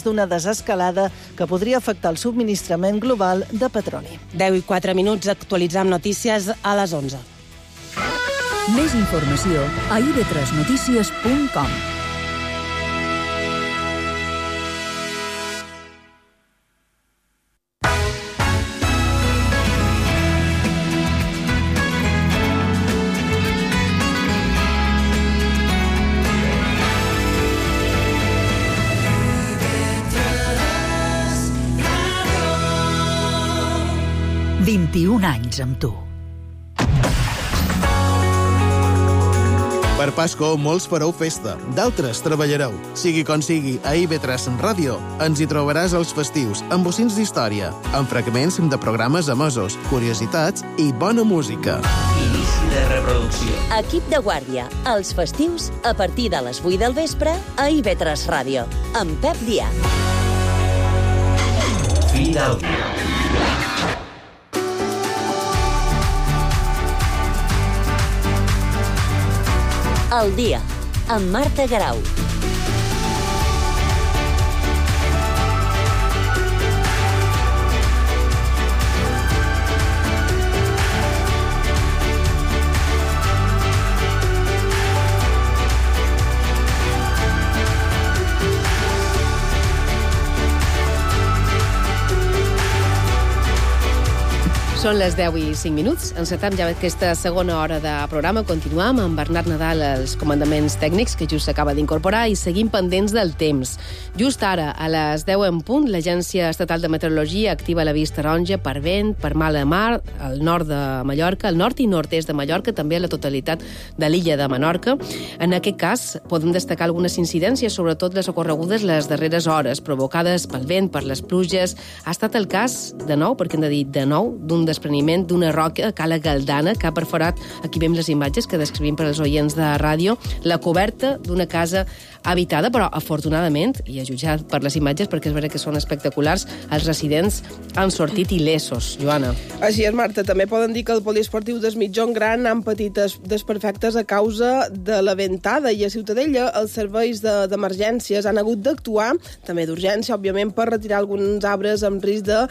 d'una desescalada que podria afectar el subministrament global de petroli. 10:04 minuts, actualitzam notícies a les 11. Més informació a ib3notícies.com. anys amb tu. Per Pasco, molts fareu festa, d'altres treballareu. Sigui com sigui, a IB3 Ràdio ens hi trobaràs els festius, amb bocins d'història, amb fragments de programes emesos, curiositats i bona música. Inici de reproducció. Equip de guàrdia, els festius, a partir de les 8 del vespre, a IB3 Ràdio, amb Pep Díaz. Fi del dia. El dia, amb Marta Garau. Són les 10:05. Encetem ja aquesta segona hora de programa. Continuam amb Bernat Nadal als comandaments tècnics, que just s'acaba d'incorporar, i seguim pendents del temps. Just ara, a les 10 en punt, l'Agència Estatal de Meteorologia activa l'avís taronja per vent, per mala mar, al nord de Mallorca, al nord i nord-est de Mallorca, també a la totalitat de l'illa de Menorca. En aquest cas, podem destacar algunes incidències, sobretot les ocorregudes les darreres hores, provocades pel vent, per les pluges. Ha estat el cas, de nou, perquè hem de dir de nou, d'un despreniment d'una roca a Cala Galdana, que ha perforat, aquí veiem les imatges que descrivim per als oients de ràdio, la coberta d'una casa habitada, però afortunadament, i a jutjar per les imatges, perquè és veritat que són espectaculars, els residents han sortit il·lesos. Joana. Així és, Marta. També poden dir que el poliesportiu des Mitjón Gran han patit desperfectes a causa de la ventada, i a Ciutadella els serveis d'emergències han hagut d'actuar, també d'urgència, òbviament, per retirar alguns arbres amb risc de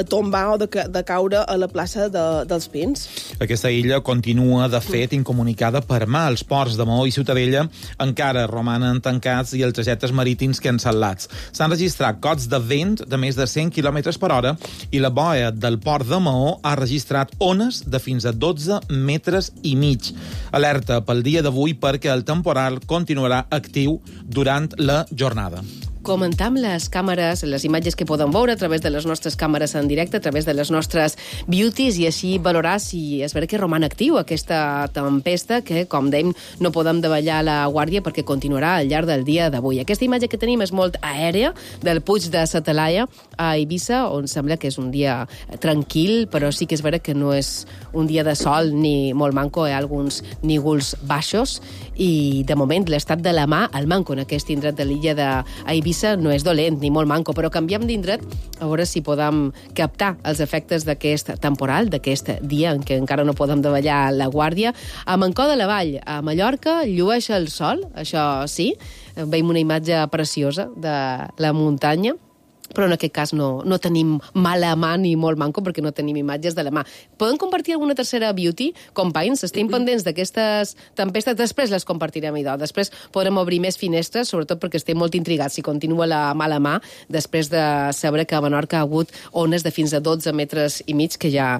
tombar o de caure a la plaça dels Pins. Aquesta illa continua, de fet, incomunicada per mà. Els ports de Maó i Ciutadella encara romanen tancats i els trajectes marítims cancel·lats. S'han registrat cots de vent de més de 100 km per hora i la boia del port de Maó ha registrat ones de fins a 12 metres i mig. Alerta pel dia d'avui perquè el temporal continuarà actiu durant la jornada. Comentam les càmeres, les imatges que podem veure a través de les nostres càmeres en directe, a través de les nostres beauties, i així valorar si és vera que roman actiu aquesta tempesta, que, com dèiem, no podem davallar la guàrdia perquè continuarà al llarg del dia d'avui. Aquesta imatge que tenim és molt aèria, del Puig de la Talaia a Eivissa, on sembla que és un dia tranquil, però sí que és vera que no és un dia de sol ni molt manco, hi ha alguns nígols baixos, i de moment l'estat de la mà, el manco en aquest indret de l'illa d'Eivissa, no és dolent ni molt manco, però canviem d'indret a veure si podem captar els efectes d'aquest temporal, d'aquest dia en què encara no podem davallar la guàrdia. A Mancó de la Vall, a Mallorca, llueix el sol, això sí, veiem una imatge preciosa de la muntanya, però en aquest cas no tenim mala mà ni molt manco perquè no tenim imatges de la mà. Podem compartir alguna tercera beauty? Companys, estem pendents d'aquestes tempestes, després les compartirem, idò. Després podrem obrir més finestres, sobretot perquè estem molt intrigats si continua la mala mà, després de saber que a Menorca ha hagut ones de fins a 12 metres i mig, que ja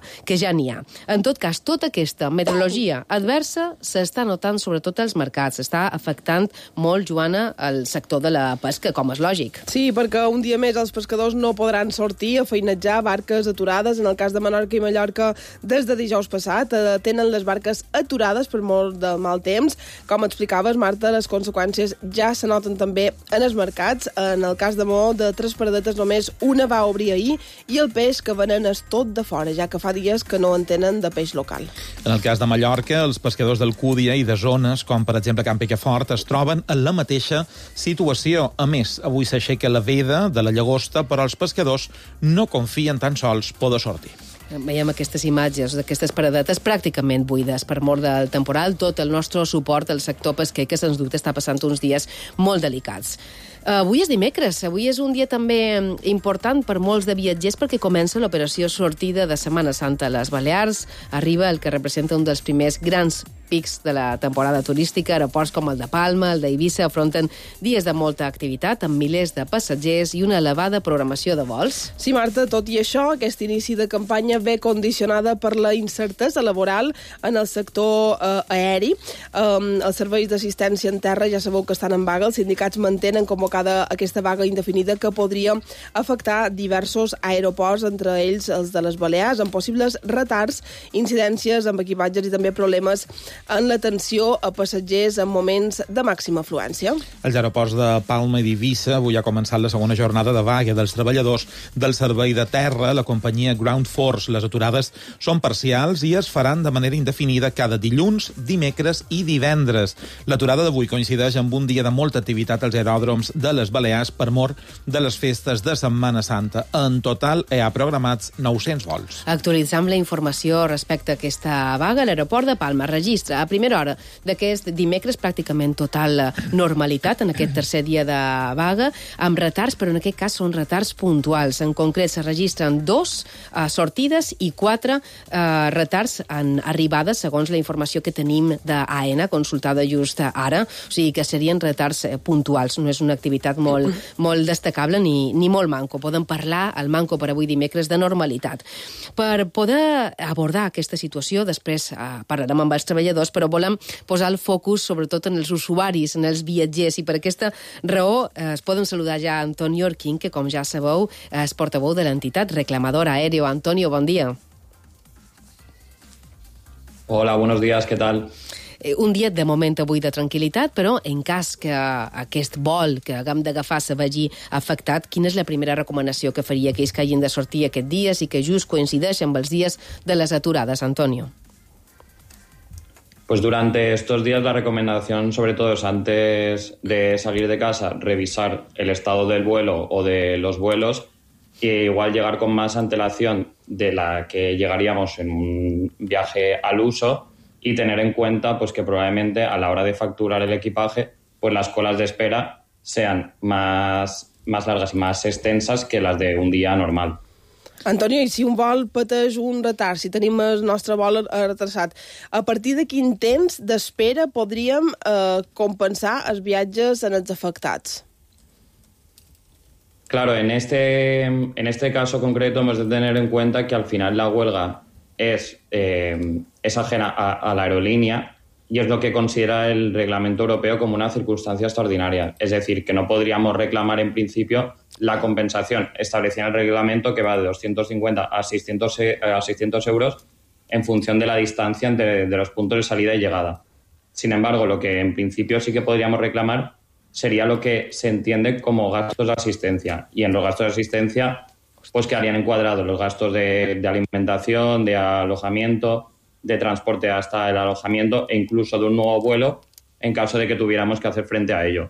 n'hi ha. En tot cas, tota aquesta meteorologia adversa s'està notant sobretot als mercats, està afectant molt, Joana, el sector de la pesca, com és lògic. Sí, perquè un dia més els pescadors no podran sortir a feinejar, barques aturades. En el cas de Menorca i Mallorca, des de dijous passat, tenen les barques aturades per molt de mal temps. Com explicaves, Marta, les conseqüències ja se noten també en els mercats. En el cas de Maó, de 3 paradetes, només una va obrir ahir, i el peix que venen és tot de fora, ja que fa dies que no en tenen de peix local. En el cas de Mallorca, els pescadors d'Alcúdia i de zones, com per exemple Can Picafort, es troben en la mateixa situació. A més, avui s'aixeca la veda de la llagosta, però els pescadors no confien tan sols poder sortir. Veiem aquestes imatges d'aquestes paradetes pràcticament buides per mort del temporal. Tot el nostre suport al sector pesquer, que sens dubte està passant uns dies molt delicats. Avui és dimecres, avui és un dia també important per molts de viatgers perquè comença l'operació sortida de Setmana Santa a les Balears. Arriba el que representa un dels primers grans pics de la temporada turística. Aeroports com el de Palma, el d'Eivissa, afronten dies de molta activitat amb milers de passatgers i una elevada programació de vols. Sí, Marta, tot i això, aquest inici de campanya ve condicionada per la incertesa laboral en el sector aeri. Els serveis d'assistència en terra ja sabeu que estan en vaga. Els sindicats mantenen convocada aquesta vaga indefinida que podria afectar diversos aeroports, entre ells els de les Balears, amb possibles retards, incidències amb equipatges i també problemes en l'atenció a passatgers en moments de màxima afluència. Els aeroports de Palma i d'Eivissa avui ha començat la segona jornada de vaga dels treballadors del servei de terra, la companyia Ground Force. Les aturades són parcials i es faran de manera indefinida cada dilluns, dimecres i divendres. L'aturada d'avui coincideix amb un dia de molta activitat als aeròdroms de les Balears per mort de les festes de Setmana Santa. En total hi ha programats 900 vols. Actualitzam la informació respecte a aquesta vaga. L'aeroport de Palma registra a primera hora d'aquest dimecres pràcticament total normalitat en aquest tercer dia de vaga, amb retards, però en aquest cas són retards puntuals. En concret, se registren 2 sortides i 4 retards en arribades, segons la informació que tenim d'AENA, consultada just ara. O sigui que serien retards puntuals. No és una activitat molt destacable ni molt manco. Podem parlar, al manco per avui dimecres, de normalitat. Per poder abordar aquesta situació, després parlarem amb els treballadors, però volem posar el focus sobretot en els usuaris, en els viatgers, i per aquesta raó es poden saludar ja Antonio Orquín, que com ja sabeu és portaveu de l'entitat reclamadora Aéreo. Antonio, bon dia. Hola, buenos días, ¿qué tal? Un dia de moment avui de tranquil·litat, però en cas que aquest vol que haguem d'agafar se vegi afectat, quina és la primera recomanació que faria aquells que hagin de sortir aquests dies i que just coincideixen amb els dies de les aturades, Antonio? Pues durante estos días la recomendación sobre todo es antes de salir de casa revisar el estado del vuelo o de los vuelos e igual llegar con más antelación de la que llegaríamos en un viaje al uso y tener en cuenta pues que probablemente a la hora de facturar el equipaje pues las colas de espera sean más largas y más extensas que las de un día normal. Antonio, i si un vol pateix un retard, si tenim el nostre vol retrasat, a partir de quin temps d'espera podríem compensar els viatges en els afectats? Claro, en este caso concreto hemos de tener en cuenta que al final la huelga es ajena a la aerolínea y es lo que considera el reglamento europeo como una circunstancia extraordinaria. Es decir, que no podríamos reclamar en principio la compensación establecida en el reglamento, que va de 250 a 600 euros en función de la distancia de los puntos de salida y llegada. Sin embargo, lo que en principio sí que podríamos reclamar sería lo que se entiende como gastos de asistencia. Y en los gastos de asistencia pues quedarían encuadrados los gastos de alimentación, de alojamiento, de transporte hasta el alojamiento e incluso de un nuevo vuelo en caso de que tuviéramos que hacer frente a ello.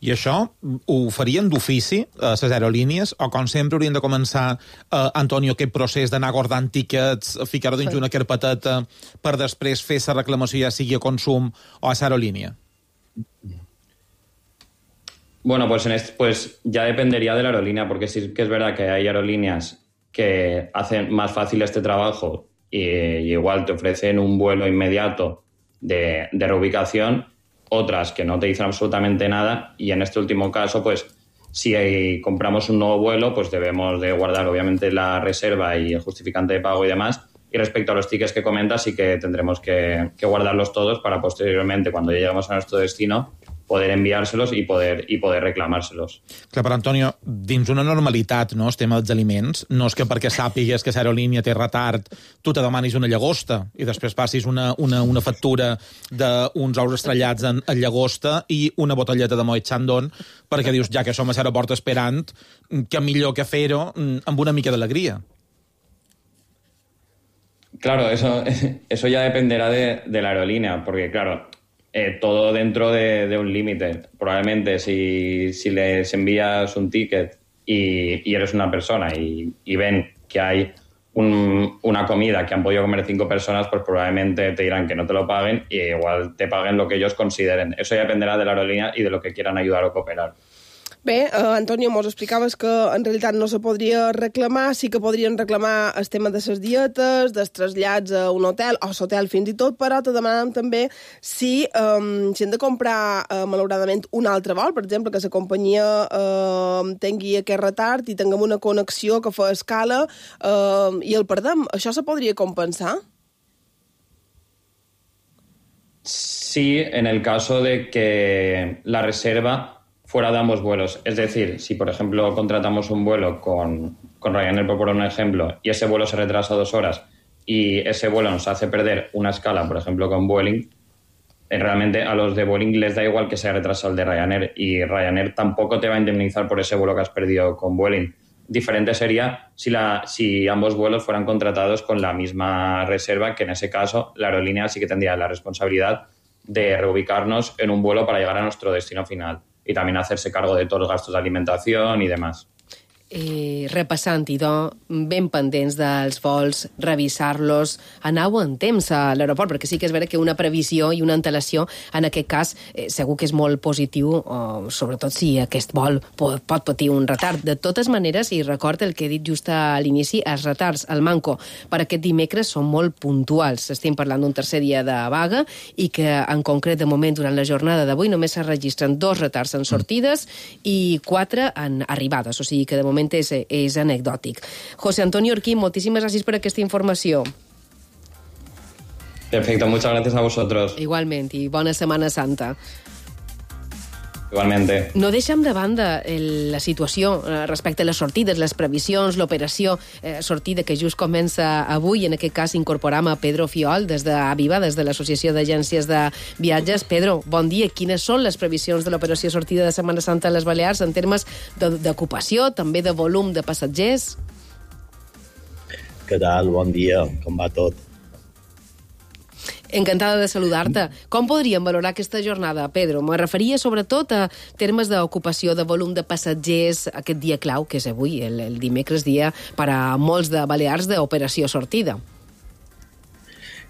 I això ho farien d'ofici a les aerolínies o com sempre haurien de començar, Antonio, aquest procés d'anar guardant tíquets, ficar-ho dins una carpeteta per després fer la reclamació ja sigui a consum o a l'aerolínia? Bueno, pues ya dependería de la aerolínea, porque sí que es verdad que hay aerolíneas que hacen más fácil este trabajo y igual te ofrecen un vuelo inmediato de reubicación, otras que no te dicen absolutamente nada, y en este último caso, pues si compramos un nuevo vuelo, pues debemos de guardar obviamente la reserva y el justificante de pago y demás. Y respecto a los tickets que comentas, sí que tendremos que guardarlos todos para posteriormente, cuando ya lleguemos a nuestro destino, poder enviárselos i poder reclamar-selos. Clar, però, Antonio, dins una normalitat, no, el tema dels aliments, no és que perquè sàpigues que l'aerolínia té retard tu te demanis una llagosta i després passis una factura d'uns ous estrellats en llagosta i una botelleta de Moet Chandon perquè dius, ja que som a l'aeroport esperant, que millor que fer-ho amb una mica d'alegria. Claro, eso ya dependerá de la aerolínea, porque claro, todo dentro de un límite. Probablemente si les envías un ticket y eres una persona y ven que hay una comida que han podido comer 5 personas, pues probablemente te dirán que no te lo paguen y igual te paguen lo que ellos consideren. Eso ya dependerá de la aerolínea y de lo que quieran ayudar o cooperar. Bé, Antonio, mos explicaves que en realitat no se podria reclamar, sí que podrien reclamar el tema de les dietes, dels trasllats a un hotel, o l'hotel fins i tot, però te demanàvem també si hem de comprar, malauradament, un altre vol, per exemple, que la companyia tingui aquest retard i tinguem una connexió que fa escala i el perdem. Això se podria compensar? Sí, en el caso de que la reserva fuera de ambos vuelos. Es decir, si por ejemplo contratamos un vuelo con Ryanair, por poner un ejemplo, y ese vuelo se retrasa 2 horas y ese vuelo nos hace perder una escala, por ejemplo, con Vueling, realmente a los de Vueling les da igual que se haya retrasado el de Ryanair y Ryanair tampoco te va a indemnizar por ese vuelo que has perdido con Vueling. Diferente sería si ambos vuelos fueran contratados con la misma reserva, que en ese caso la aerolínea sí que tendría la responsabilidad de reubicarnos en un vuelo para llegar a nuestro destino final y también hacerse cargo de todos los gastos de alimentación y demás. Repassant, idò, ben pendents dels vols, revisar-los, anau en temps a l'aeroport, perquè sí que és vera que una previsió i una antelació, en aquest cas, segur que és molt positiu, sobretot si aquest vol pot patir un retard. De totes maneres, i record el que he dit just a l'inici, els retards al Manco per aquest dimecres són molt puntuals. Estem parlant d'un tercer dia de vaga i que, en concret, de moment, durant la jornada d'avui, només es registren 2 retards en sortides i 4 en arribades, o sigui que, de moment, és anecdòtic. José Antonio Orquín, moltíssimes gràcies per aquesta informació. Perfecto, muchas gracias a vosotros. Igualment, i bona Setmana Santa. Igualmente. No deixem de banda la situació respecte a les sortides, les previsions, l'operació sortida que just comença avui. En aquest cas incorporam a Pedro Fiol des d'Aviva, des de l'Associació d'Agències de Viatges. Pedro, bon dia. Quines són les previsions de l'operació sortida de Setmana Santa a les Balears en termes d'ocupació, també de volum de passatgers? Què tal? Bon dia. Com va tot? Encantada de saludar-te. Com podríem valorar aquesta jornada, Pedro? Me referia sobretot a termes d'ocupació, de volum de passatgers, aquest dia clau, que és avui, el dimecres, dia per a molts de Balears d'operació sortida.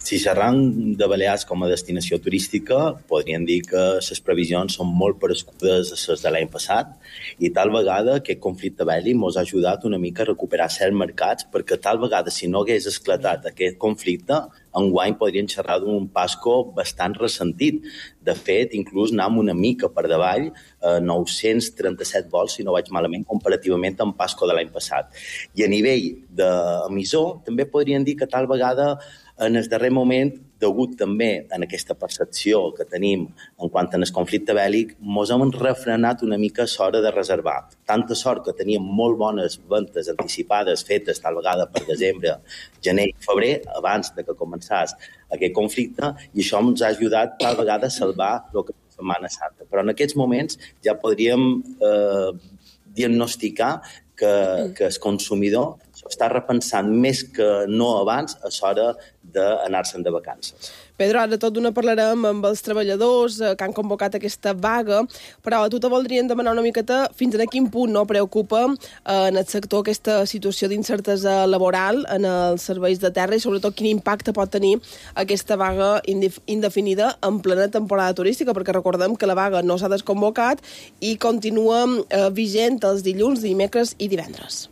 Si xerram de Balears com a destinació turística, podríem dir que les previsions són molt parescudes a les de l'any passat i tal vegada aquest conflicte bèl·lic ens ha ajudat una mica a recuperar certs mercats, perquè tal vegada si no hagués esclatat aquest conflicte, enguany podrien xerrar d'un Pasco bastant ressentit. De fet, inclús anàvem una mica per davall, 937 vols, si no vaig malament, comparativament amb Pasco de l'any passat. I a nivell d'emissor, també podríem dir que tal vegada en el darrer moment, degut també en aquesta percepció que tenim en quant al conflicte bèl·lic, ens hem refrenat una mica l'hora de reservar. Tanta sort que teníem molt bones ventes anticipades fetes tal vegada per desembre, gener i febrer, abans de que començés aquest conflicte, i això ens ha ajudat tal vegada a salvar el que és la Setmana Santa. Però en aquests moments ja podríem diagnosticar que el consumidor està repensant més que no abans a l'hora d'anar-se'n de vacances. Pedro, ara tot d'una parlarem amb els treballadors que han convocat aquesta vaga, però a tu te voldrien demanar una miqueta fins a quin punt no preocupa en el sector aquesta situació d'incertesa laboral en els serveis de terra i sobretot quin impacte pot tenir aquesta vaga indefinida en plena temporada turística, perquè recordem que la vaga no s'ha desconvocat i continua vigent els dilluns, dimecres i divendres.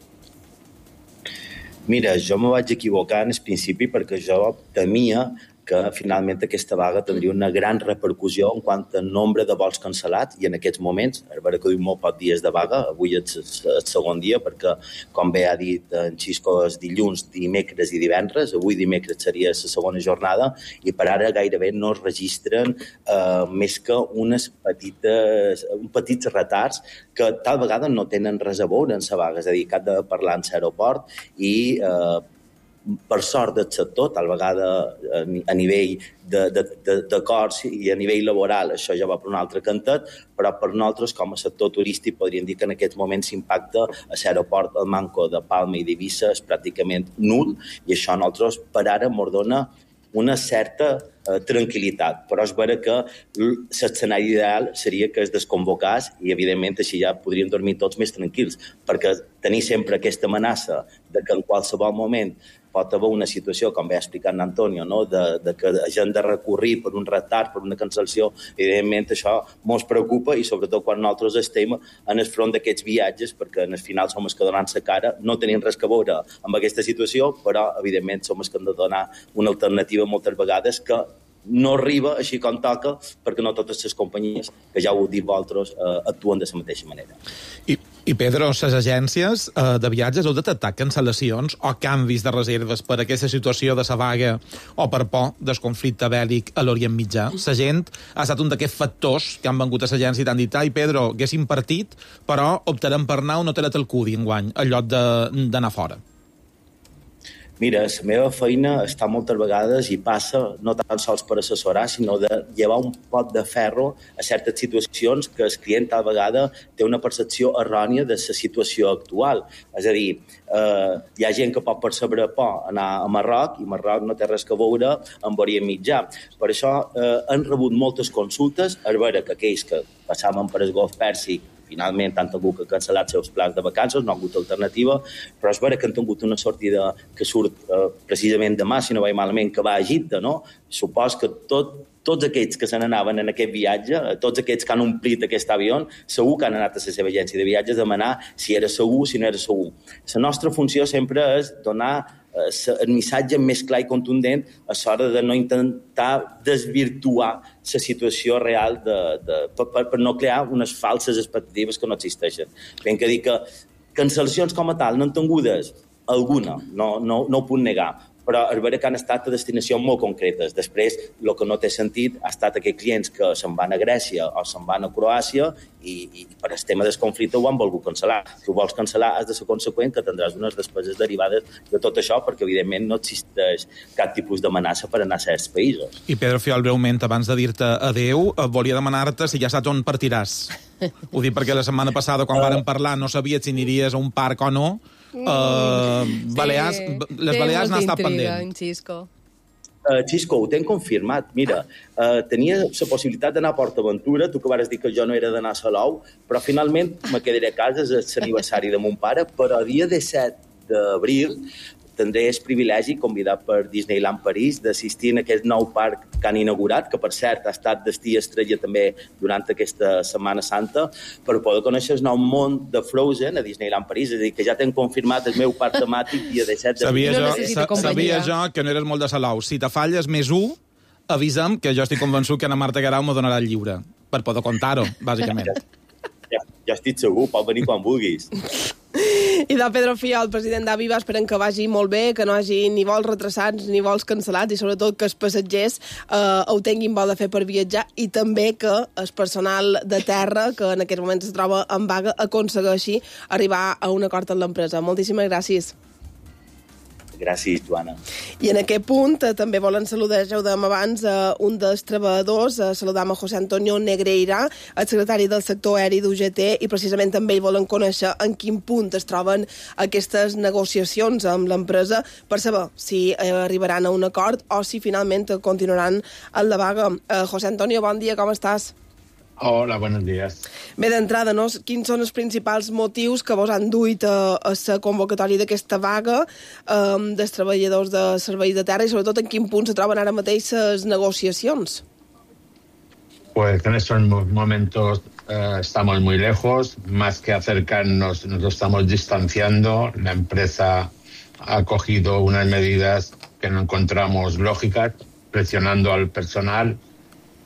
Mira, jo me vaig equivocar en el principi perquè jo temia que finalment aquesta vaga tindria una gran repercussió en quant a nombre de vols cancel·lats i en aquests moments, a veure que diu molt pocs dies de vaga, avui és el segon dia perquè, com bé ha dit en Xisco, és dilluns, dimecres i divendres, avui dimecres seria la segona jornada i per ara gairebé no es registren més que uns petits retards que tal vegada no tenen res a veure en la vaga, és a dir, que ha de parlar en l'aeroport i per sort del sector, tal vegada a nivell d'acords i a nivell laboral això ja va per un altre cantet, però per nosaltres com a sector turístic podríem dir que en aquests moments l'impacte a l'aeroport del Manco de Palma i d'Eivissa és pràcticament nul i això a nosaltres per ara ens dona una certa tranquil·litat, però és vera que l'escenari ideal seria que es desconvocés i evidentment així ja podríem dormir tots més tranquils, perquè tenir sempre aquesta amenaça de que en qualsevol moment pot haver una situació, com bé ha explicat Antonio, no? de que hagin de recórrer per un retard, per una cancel·lació. Evidentment, això ens preocupa i sobretot quan nosaltres estem en el front d'aquests viatges, perquè en el final som els que donen la cara, no tenim res que veure amb aquesta situació, però evidentment som els que hem de donar una alternativa moltes vegades que no arriba així com toca, perquè no totes les companyies, que ja ho heu dit vosaltres, actuen de la mateixa manera. I Pedro, les agències de viatges heu detectat cancel·lacions o canvis de reserves per aquesta situació de la vaga o per por del conflicte bèl·lic a l'Orient Mitjà? La gent ha estat un d'aquests factors que han vengut a l'agència i t'han dit: ai, Pedro, haguéssim partit, però optarem per anar a un hotel a Talcudi enguany, en lloc d'anar fora. Mira, la meva feina està moltes vegades i passa no tan sols per assessorar, sinó de llevar un pot de ferro a certes situacions que el client a vegada té una percepció errònia de la situació actual. És a dir, hi ha gent que pot percebre por anar a Marroc i Marroc no té res que veure amb Orient Mitjà. Per això han rebut moltes consultes, a veure que aquells que passaven per el Golf Pèrsic finalment han tingut que cancel·lar els seus plans de vacances, no ha hagut alternativa, però és vera que han tingut una sortida que surt precisament demà, si no vaig malament, que va a Egipte, no? Supos que tots aquells que se n'anaven en aquest viatge, tots aquells que han omplit aquest avió, segur que han anat a la seva agència de viatges a demanar si era segur, si no era segur. La nostra funció sempre és donar el missatge més clar i contundent a l'hora de no intentar desvirtuar la situació real per no crear unes falses expectatives que no existeixen. Ben que dir que cancel·lacions com a tal no han tingudes alguna, no ho puc negar, però és vera que han estat a destinacions molt concretes. Després, el que no té sentit ha estat aquells clients que se'n van a Grècia o se'n van a Croàcia i per el tema del conflicte ho han volgut cancel·lar. Si ho vols cancel·lar, has de ser conseqüent que tindràs unes despeses derivades de tot això, perquè evidentment no existeix cap tipus d'amenaça per anar a certs països. I Pedro Fiol, breument, abans de dir-te adeu, volia demanar-te si ja saps on partiràs. Ho dic perquè la setmana passada, quan vàrem parlar, no sabies si aniries a un parc o no. Balears, les Balears n'ha estat pendent. Xisco, ho tenc confirmat. Mira, tenia la possibilitat d'anar a PortAventura, tu que vas dir que jo no era d'anar a Salou, però finalment me quedaré a casa, és l'aniversari de mon pare, però el dia 17 d'abril tindré el privilegi, convidat per Disneyland París, d'assistir a aquest nou parc que han inaugurat, que per cert ha estat destí estrella també durant aquesta Setmana Santa, per poder conèixer el nou món de Frozen a Disneyland París. És a dir, que ja t'hem confirmat el meu parc temàtic dia 17 d'abril. Sabia jo que no eres molt de Salou. Si te falles més 1, avisa'm, que jo estic convençut que Ana Marta Guerau me donarà el lliure, per poder contar-ho, bàsicament. Ja estic segur, pot venir quan vulguis. I de Pedro Fiol, el president d'Aviva, esperem que vagi molt bé, que no hagi ni vols retrasats ni vols cancel·lats i sobretot que els passatgers ho tinguin bo de fer per viatjar i també que el personal de terra, que en aquests moments es troba en vaga, aconsegueixi arribar a un acord amb l'empresa. Moltíssimes gràcies. Gràcies, Joana. I en aquest punt també volen saludar, ja ho dèiem abans, un dels treballadors, saludam a José Antonio Negreira, el secretari del sector aeri d'UGT, i precisament també ell volen conèixer en quin punt es troben aquestes negociacions amb l'empresa per saber si arribaran a un acord o si finalment continuaran en la vaga. José Antonio, bon dia, com estàs? Hola, buenos días. Bé, d'entrada, no? Quins són els principals motius que vos han duit a la convocatòria d'aquesta vaga dels treballadors de serveis de terra i sobretot en quin punt se troben ara mateix les negociacions? Pues en estos momentos estamos muy lejos, más que acercarnos, nos estamos distanciando. La empresa ha cogido unas medidas que no encontramos lógicas, presionando al personal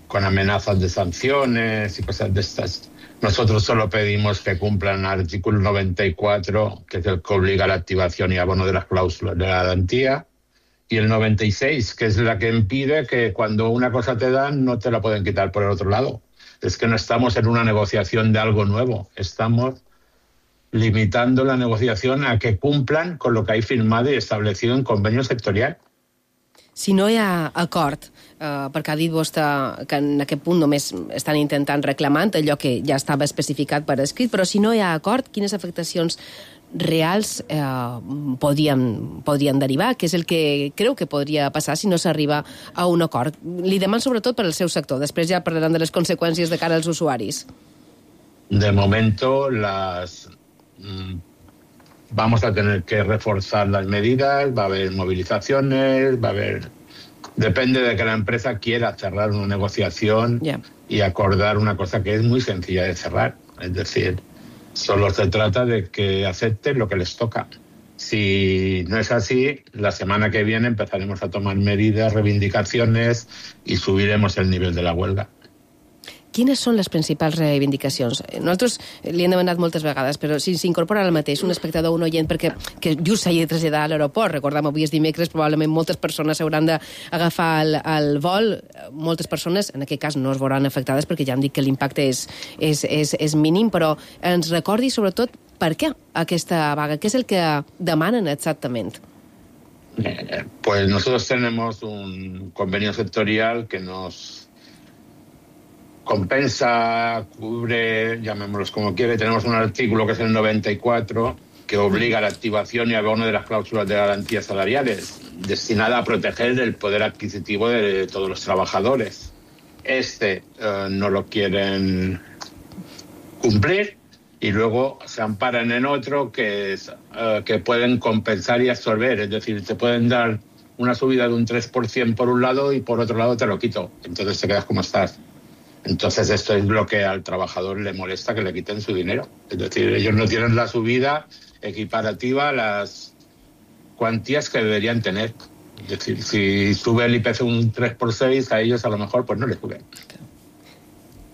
con amenazas de sanciones y cosas de estas. Nosotros solo pedimos que cumplan el artículo 94, que es el que obliga a la activación y abono de las cláusulas de la garantía, y el 96, que es la que impide que cuando una cosa te dan no te la pueden quitar por el otro lado. Es que no estamos en una negociación de algo nuevo, estamos limitando la negociación a que cumplan con lo que hay firmado y establecido en convenio sectorial. Si no hi ha acord, perquè ha dit vostè que en aquest punt només estan intentant reclamant allò que ja estava especificat per escrit, però si no hi ha acord, quines afectacions reals podrien derivar? Què és el que creu que podria passar si no s'arriba a un acord? Li deman sobretot per al seu sector, després ja parlarem de les conseqüències de cara als usuaris. De momento, las vamos a tener que reforzar las medidas, va a haber movilizaciones, va a haber... Depende de que la empresa quiera cerrar una negociación y acordar una cosa que es muy sencilla de cerrar. Es decir, solo se trata de que acepten lo que les toca. Si no es así, la semana que viene empezaremos a tomar medidas, reivindicaciones i subiremos el nivell de la huelga. Quines són les principals reivindicacions? Nosaltres li hem demanat moltes vegades, però si s'incorpora ara mateix un espectador o un oient perquè que just s'hagi de traslladar a l'aeroport, recordem, avui és dimecres, probablement moltes persones s'hauran d'agafar el vol, moltes persones, en aquest cas, no es veuran afectades perquè ja hem dit que l'impacte és mínim, però ens recordi sobretot per què aquesta vaga, què és el que demanen exactament? Pues nosotros tenemos un convenio sectorial que nos compensa, cubre, llamémoslos como quiere. Tenemos un artículo que es el 94 que obliga a la activación y abono de las cláusulas de garantías salariales destinada a proteger el poder adquisitivo de todos los trabajadores. No lo quieren cumplir y luego se amparan en otro que pueden compensar y absorber. Es decir, te pueden dar una subida de un 3% por un lado y por otro lado te lo quito. Entonces te quedas como estás. Entonces esto es lo que al trabajador le molesta, que le quiten su dinero. Es decir, ellos no tienen la subida equiparativa a las cuantías que deberían tener. Es decir, si sube el IPC un 3x6, a ellos a lo mejor pues no les sube.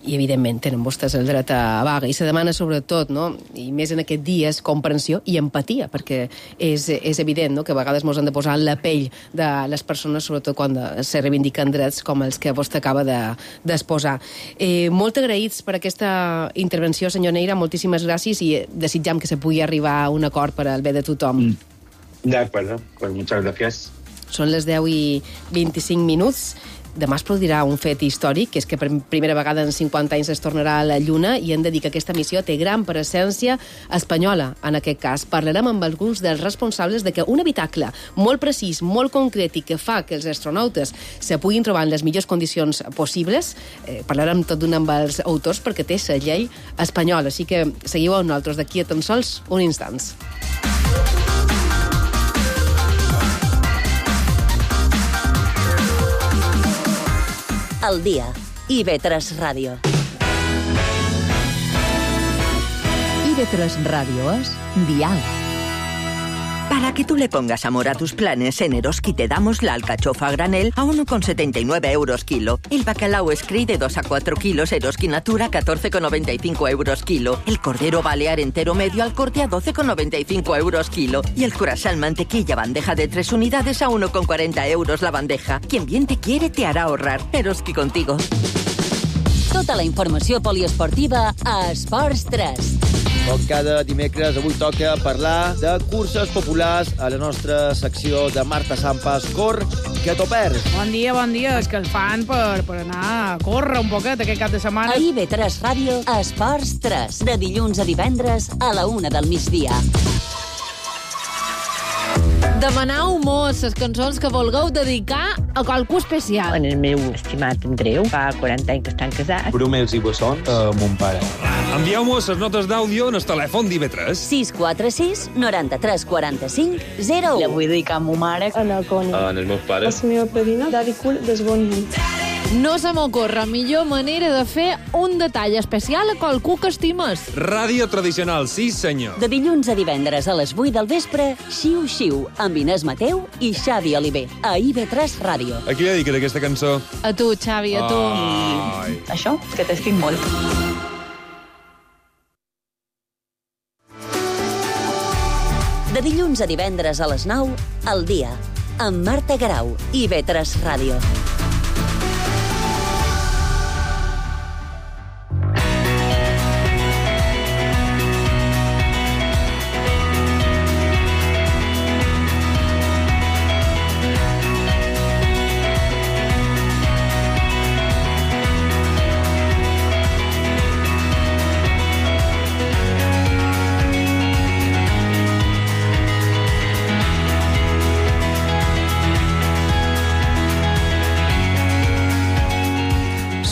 I, evidentment, tenen vostès el dret a vaga. I se demana, sobretot, no? I més en aquests dies, comprensió i empatia, perquè és evident, no?, que a vegades ens han de posar en la pell de les persones, sobretot quan se reivindiquen drets com els que vostè acaba d'exposar. Molt agraïts per aquesta intervenció, senyor Neira, moltíssimes gràcies i desitjam que se pugui arribar a un acord per al bé de tothom. De acuerdo, pues muchas gracias. Són les 10:25. Demà es produirà un fet històric, que és que per primera vegada en 50 anys es tornarà a la Lluna, i hem de dir que aquesta missió té gran presència espanyola, en aquest cas. Parlarem amb alguns dels responsables de que un habitacle molt precís, molt concret i que fa que els astronautes se puguin trobar en les millors condicions possibles, parlarem tot d'una amb els autors perquè té la llei espanyola. Així que seguiu amb nosaltres d'aquí a tan sols un instants. Al día. IB3 Radio. IB3 Radio es dial. Para que tú le pongas amor a tus planes, en Eroski te damos la alcachofa a granel a 1,79 euros kilo. El bacalao Scri de 2 a 4 kilos Eroski Natura 14,95 euros kilo. El cordero balear entero medio al corte a 12,95 euros kilo. Y el croissant mantequilla bandeja de 3 unidades a 1,40 euros la bandeja. Quien bien te quiere te hará ahorrar. Eroski contigo. Tota la informació poliesportiva a Esports 3. Com cada dimecres, avui toca parlar de curses populars a la nostra secció de Marta Sampas. Cor, que t'ho perds. Bon dia, és que el fan per anar a córrer un poquet aquest cap de setmana. A IB3 Ràdio, Esports 3, de dilluns a divendres a la 1 del migdia. Demanau mos les cançons que vulgueu dedicar a qualcú especial. En el meu estimat Andreu, fa 40 anys que estan casats. Brumels i bessons a mon pare. Envieu-mos les notes d'àudio en el telèfon d'IB3. 646 93 45 01. La vull dedicar a ma mare. En el Coni. En els meus pares. A la meva padrina, Daddy Cool, des bon nit. No se m'ocorre millor manera de fer un detall especial a qualcú que estimes. Ràdio tradicional, sí senyor. De dilluns a divendres a les 8 del vespre, Xiu Xiu, amb Inés Mateu i Xavi Oliver, a IB3 Ràdio. A qui dediques aquesta cançó? A tu, Xavi, a tu. I això, que t'estic molt. De dilluns a divendres a les 9, al dia, amb Marta Garau, IB3 Ràdio.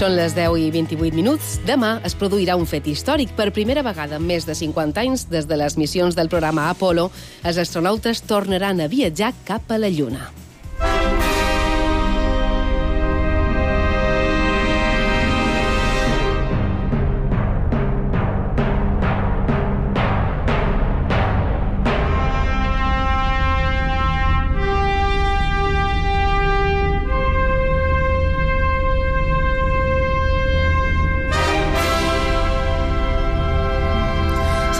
Són les 10:28. Demà es produirà un fet històric. Per primera vegada en més de 50 anys, des de les missions del programa Apollo, els astronautes tornaran a viatjar cap a la Lluna.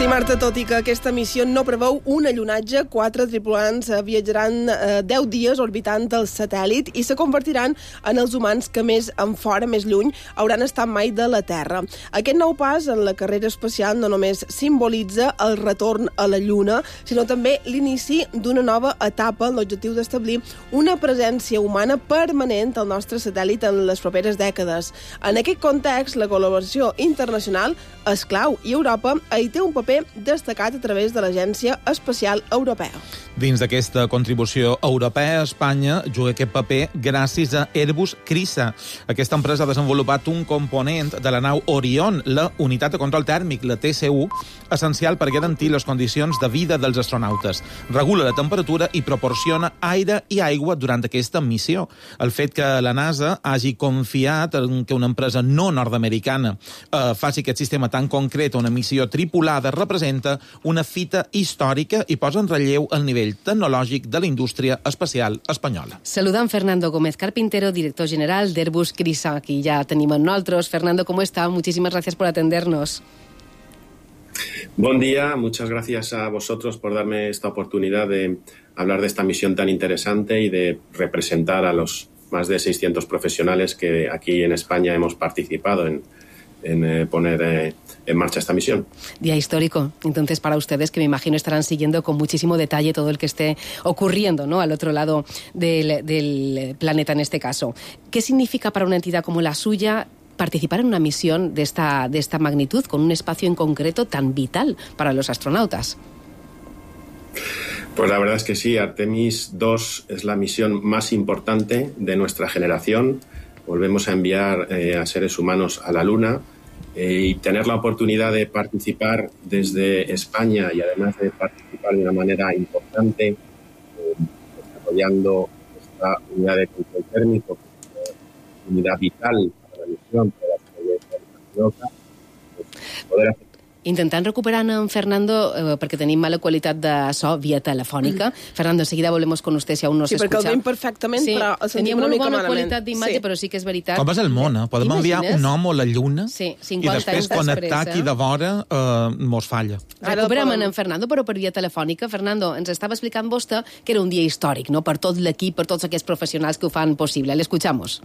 Sí, Marta, tot i que aquesta missió no preveu un allunatge, 4 tripulants viatjaran 10 dies orbitant el satèl·lit i se convertiran en els humans que més en fora, més lluny, hauran estat mai de la Terra. Aquest nou pas en la carrera espacial no només simbolitza el retorn a la Lluna, sinó també l'inici d'una nova etapa amb l'objectiu d'establir una presència humana permanent al nostre satèl·lit en les properes dècades. En aquest context, la col·laboració internacional és clau i Europa hi té un paper destacat a través de l'Agència Espacial Europea. Dins d'aquesta contribució europea, Espanya juga aquest paper gràcies a Airbus CRISA. Aquesta empresa ha desenvolupat un component de la nau Orion, la unitat de control tèrmic, la TCU, essencial per garantir les condicions de vida dels astronautes. Regula la temperatura i proporciona aire i aigua durant aquesta missió. El fet que la NASA hagi confiat en que una empresa no nord-americana faci aquest sistema tan concret a una missió tripulada representa una fita històrica i posa en relleu el nivell tecnològic de la indústria espacial espanyola. Saludant Fernando Gómez Carpintero, director general de Airbus CRISA, aquí ya tenemos nosotros. Fernando, ¿cómo está? Muchísimas gracias por atendernos. Buen día, muchas gracias a vosotros por darme esta oportunidad de hablar de esta misión tan interesante y de representar a los más de 600 profesionales que aquí en España hemos participado en poner en marcha esta misión. Día histórico, entonces, para ustedes, que me imagino estarán siguiendo con muchísimo detalle todo el que esté ocurriendo, ¿no?, al otro lado del planeta en este caso. ¿Qué significa para una entidad como la suya participar en una misión de esta magnitud, con un espacio en concreto tan vital para los astronautas? Pues la verdad es que sí, Artemis 2 es la misión más importante de nuestra generación. Volvemos a enviar a seres humanos a la Luna y tener la oportunidad de participar desde España y además de participar de una manera importante desarrollando esta unidad de control térmico, unidad vital para la misión, para la seguridad, poder hacer. Intentant recuperar en Fernando, perquè tenim mala qualitat de so via telefònica. Fernando, enseguida volvemos con usted si aún no se escucha. Sí, perquè el veiem perfectament, sí, però el sentim una una mica bona malament. qualitat d'imatge, sí. Però sí que és veritat. Com és el món, eh? Podem enviar un home a la Lluna sí, i després connectar aquí de vora mos falla. Recuperem en Fernando, però per via telefònica. Fernando, ens estava explicant vostè que era un dia històric, no?, per tot l'equip, per tots aquests professionals que ho fan possible. L'escuchamos.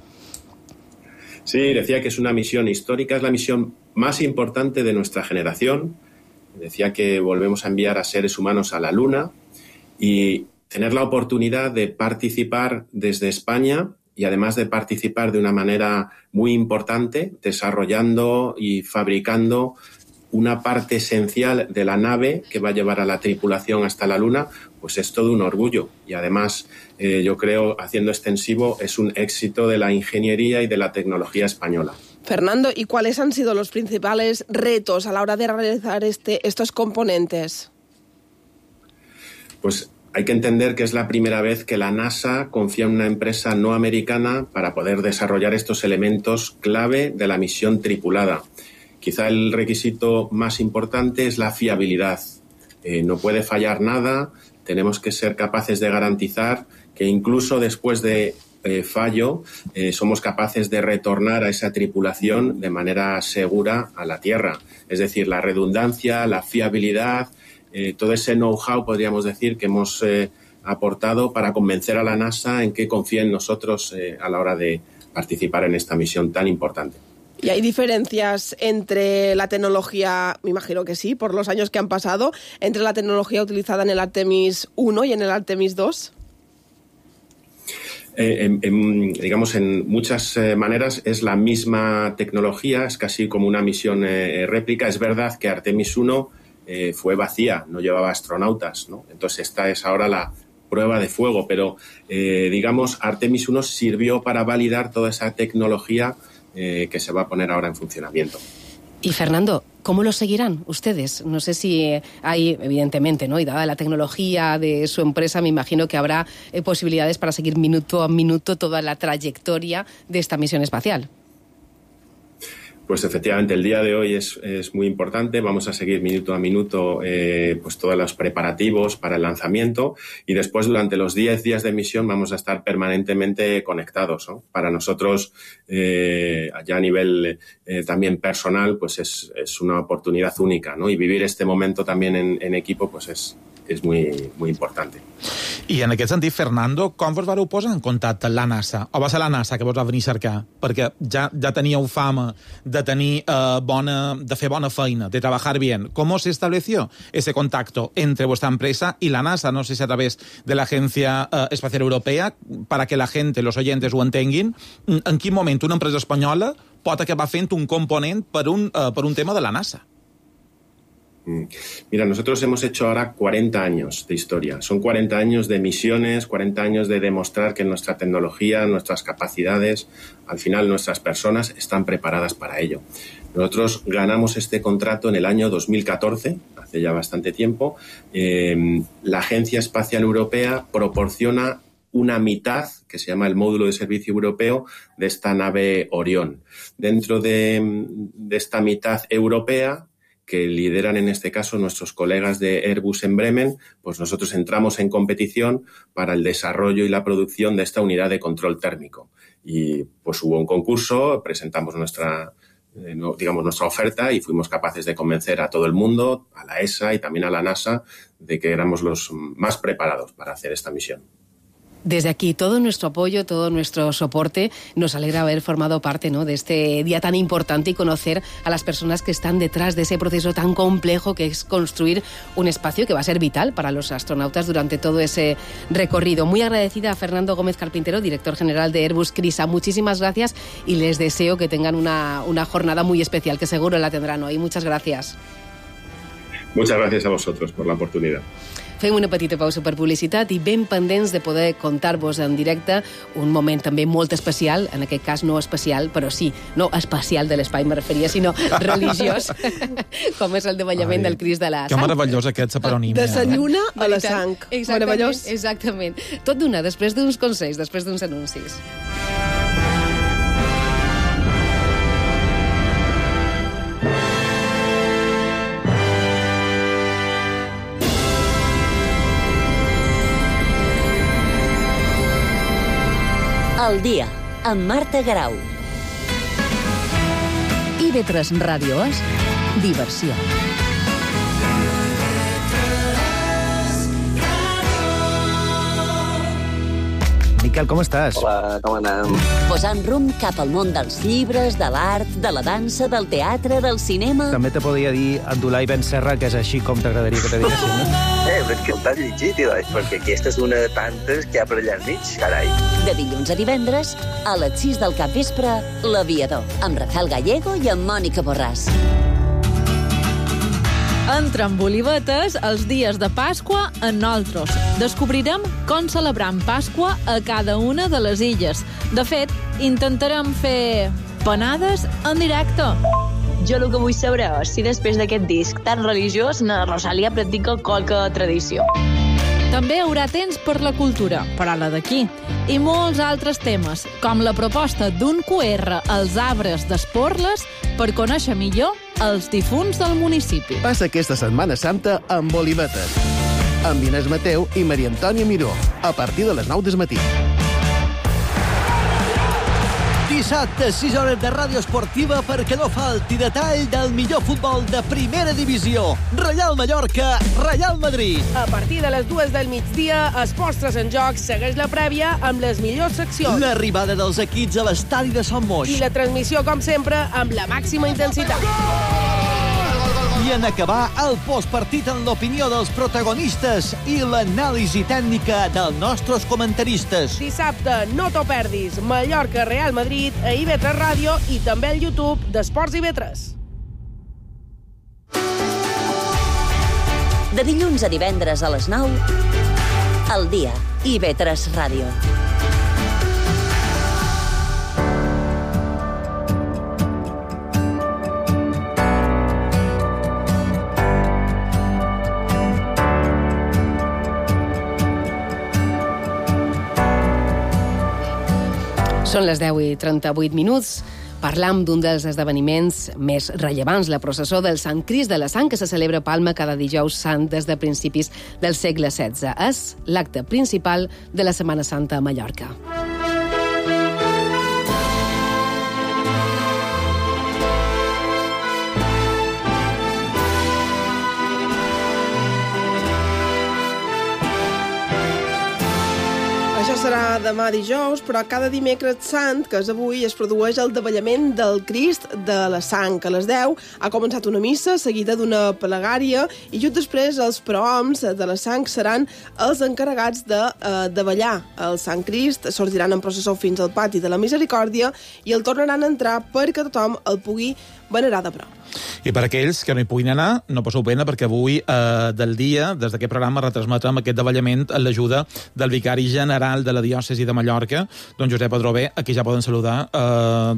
Sí, decía que es una misión histórica, es la misión más importante de nuestra generación. Decía que volvemos a enviar a seres humanos a la Luna y tener la oportunidad de participar desde España y además de participar de una manera muy importante, desarrollando y fabricando una parte esencial de la nave que va a llevar a la tripulación hasta la Luna, pues es todo un orgullo. Y además, yo creo, haciendo extensivo, es un éxito de la ingeniería y de la tecnología española. Fernando, ¿y cuáles han sido los principales retos a la hora de realizar estos componentes? Pues hay que entender que es la primera vez que la NASA confía en una empresa no americana para poder desarrollar estos elementos clave de la misión tripulada. Quizá el requisito más importante es la fiabilidad. No puede fallar nada, tenemos que ser capaces de garantizar que incluso después de fallo, somos capaces de retornar a esa tripulación de manera segura a la Tierra. Es decir, la redundancia, la fiabilidad, todo ese know-how, podríamos decir, que hemos aportado para convencer a la NASA en que confía en nosotros a la hora de participar en esta misión tan importante. ¿Y hay diferencias entre la tecnología, me imagino que sí, por los años que han pasado, entre la tecnología utilizada en el Artemis 1 y en el Artemis 2? Digamos, en muchas maneras es la misma tecnología, es casi como una misión réplica. Es verdad que Artemis 1 fue vacía, no llevaba astronautas, ¿no? Entonces esta es ahora la prueba de fuego, pero digamos, Artemis 1 sirvió para validar toda esa tecnología que se va a poner ahora en funcionamiento. Y Fernando, ¿cómo lo seguirán ustedes? No sé si hay, evidentemente, ¿no? Y dada la tecnología de su empresa, me imagino que habrá posibilidades para seguir minuto a minuto toda la trayectoria de esta misión espacial. Pues efectivamente, el día de hoy es muy importante. Vamos a seguir minuto a minuto pues todos los preparativos para el lanzamiento y después durante los 10 días de misión vamos a estar permanentemente conectados, ¿no? Para nosotros, ya a nivel también personal, pues es una oportunidad única, ¿no? Y vivir este momento también en equipo pues és muy importante. I en aquest sentit, Fernando, com vos vareu posar en contacte amb la NASA? O va ser la NASA que vos va venir a cercar? Perquè ja teníeu fama de fer bona feina, de trabajar bien. ¿Cómo se estableció ese contacto entre vuestra empresa y la NASA? No sé si a través de la Agencia Espacial Europea, para que la gente, los oyentes ho entenguin, en quin moment una empresa espanyola pot acabar fent un component per un tema de la NASA? Mira, nosotros hemos hecho ahora 40 años de historia. Son 40 años de misiones, 40 años de demostrar que nuestra tecnología, nuestras capacidades, al final nuestras personas están preparadas para ello. Nosotros ganamos este contrato en el año 2014, hace ya bastante tiempo. La Agencia Espacial Europea proporciona una mitad, que se llama el módulo de servicio europeo, de esta nave Orión. Dentro de esta mitad europea, que lideran en este caso nuestros colegas de Airbus en Bremen, pues nosotros entramos en competición para el desarrollo y la producción de esta unidad de control térmico. Y pues hubo un concurso, presentamos nuestra oferta y fuimos capaces de convencer a todo el mundo, a la ESA y también a la NASA, de que éramos los más preparados para hacer esta misión. Desde aquí, todo nuestro apoyo, todo nuestro soporte. Nos alegra haber formado parte, ¿no?, de este día tan importante y conocer a las personas que están detrás de ese proceso tan complejo que es construir un espacio que va a ser vital para los astronautas durante todo ese recorrido. Muy agradecida a Fernando Gómez Carpintero, director general de Airbus CRISA. Muchísimas gracias y les deseo que tengan una jornada muy especial, que seguro la tendrán hoy. Muchas gracias. Muchas gracias a vosotros por la oportunidad. Fem una petita pausa per publicitat i ben pendents de poder contar-vos en directe un moment també molt especial, en aquest cas no especial, però sí, no espacial de l'espai me referia, sinó religiós, com és el davallament del Crist de la Sang. Que meravellós aquest separonímia. De sa lluna a la sang. Meravellós. Exactament. Tot d'una, després d'uns consells, després d'uns anuncis. Al dia, amb Marta Garau. IB3 Ràdio és diversió. Miquel, com estàs? Hola, com anem? Posant rumb cap al món dels llibres, de l'art, de la dansa, del teatre, del cinema... També te podria dir Abdulai Ben Serra, que és així com t'agradaria que te diguessin, no? Però que t'has llegit, perquè aquesta és una de tantes que hi ha per allà al mig, carai. De dilluns a divendres, a les 6 del capvespre, L'Aviador, amb Rafael Gallego i amb Mònica Borràs. Entre amb olivetes els dies de Pasqua en nosaltres. Descobrirem com celebram Pasqua a cada una de les illes. De fet, intentarem fer panades en directe. Jo el que vull saber és si després d'aquest disc tan religiós na Rosalia practica qualque tradició. També hi haurà temps per la cultura, però la d'aquí, i molts altres temes, com la proposta d'un QR als arbres d'Esporles per conèixer millor els difunts del municipi. Passa aquesta Setmana Santa amb Olivetes, amb Inés Mateu i Maria Antònia Miró, a partir de les 9 del matí. Dissabte, 6 hores de ràdio esportiva perquè no falti detall del millor futbol de primera divisió. Reial Mallorca, Reial Madrid. A partir de les 2 del migdia, Esports en Joc segueix la prèvia amb les millors seccions. L'arribada dels equips a l'estadi de Sant Moix. I la transmissió, com sempre, amb la màxima intensitat. I en acabar, el postpartit en l'opinió dels protagonistes i l'anàlisi tècnica dels nostres comentaristes. Dissabte, no t'ho perdis. Mallorca, Real Madrid, a IB3 Ràdio i també al YouTube d'Esports IB3. De dilluns a divendres a les 9, al dia, IB3 Ràdio. Són les 10:38. Parlam d'un dels esdeveniments més rellevants, la processó del Sant Crist de la Sang, que se celebra a Palma cada dijous sant des de principis del segle XVI. És l'acte principal de la Setmana Santa a Mallorca. Això serà demà dijous, però cada dimecres sant, que és avui, es produeix el davallament del Crist de la Sang. A les 10 ha començat una missa seguida d'una pregària i just després els prohoms de la Sang seran els encarregats de davallar el Sant Crist, sortiran en processó fins al pati de la Misericòrdia i el tornaran a entrar perquè tothom el pugui venerar de prop. I per aquells que no hi puguin anar, no passeu pena, perquè avui del dia, des d'aquest programa, retransmetrem aquest davallament amb l'ajuda del vicari general de la diòcesi de Mallorca, don Josep Adrover, a qui ja poden saludar.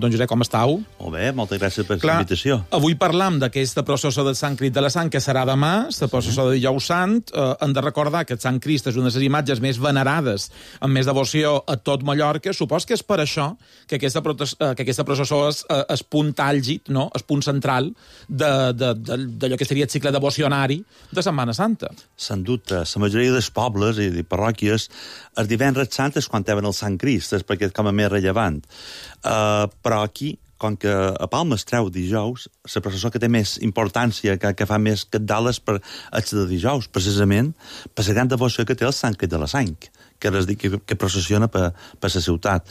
Don Josep, com estàu? Molt bé, moltes gràcies per la invitació. Avui parlam d'aquesta processó del Sant Crist de la Sang, que serà demà, la processó de dijous sant. Hem de recordar que el Sant Crist és una de les imatges més venerades, amb més devoció a tot Mallorca. Supos que és per això que aquesta processó és punt àlgid, no? És punt central d'allò que seria el cicle devocionari de Setmana Santa. Sense dubte, la majoria dels pobles i de parròquies el divendres sant és quan tenen el Sant Crist, és perquè és com a més rellevant. Però aquí, com que a Palma es treu dijous, la processó que té més importància, que fa més capdales per el de dijous, precisament per la gran devoció que té el Sant Crist de la Sang, que processiona per la ciutat.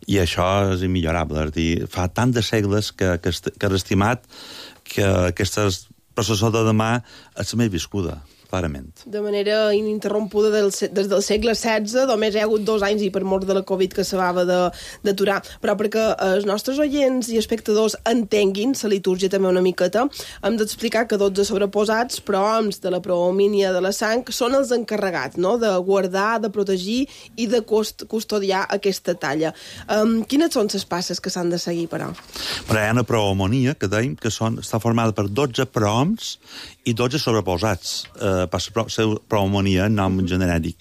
I això és immillorable. És dir, fa tant de segles que és estimat que aquesta processó de demà és la més viscuda, clarament. De manera ininterrompuda des del segle XVI, només hi ha hagut 2 anys i per mort de la Covid que s'acabava d'aturar. Però perquè els nostres oients i espectadors entenguin la litúrgia també una miqueta, hem d'explicar que 12 sobreposats, prohoms de la prohomínia de la Sang, són els encarregats, no?, de guardar, de protegir i de custodiar aquesta talla. Quines són les passes que s'han de seguir, però? Però hi ha una prohomonia, que dèiem que està formada per 12 prohoms i 12 sobreposats, per la prohomonia en nom genèric.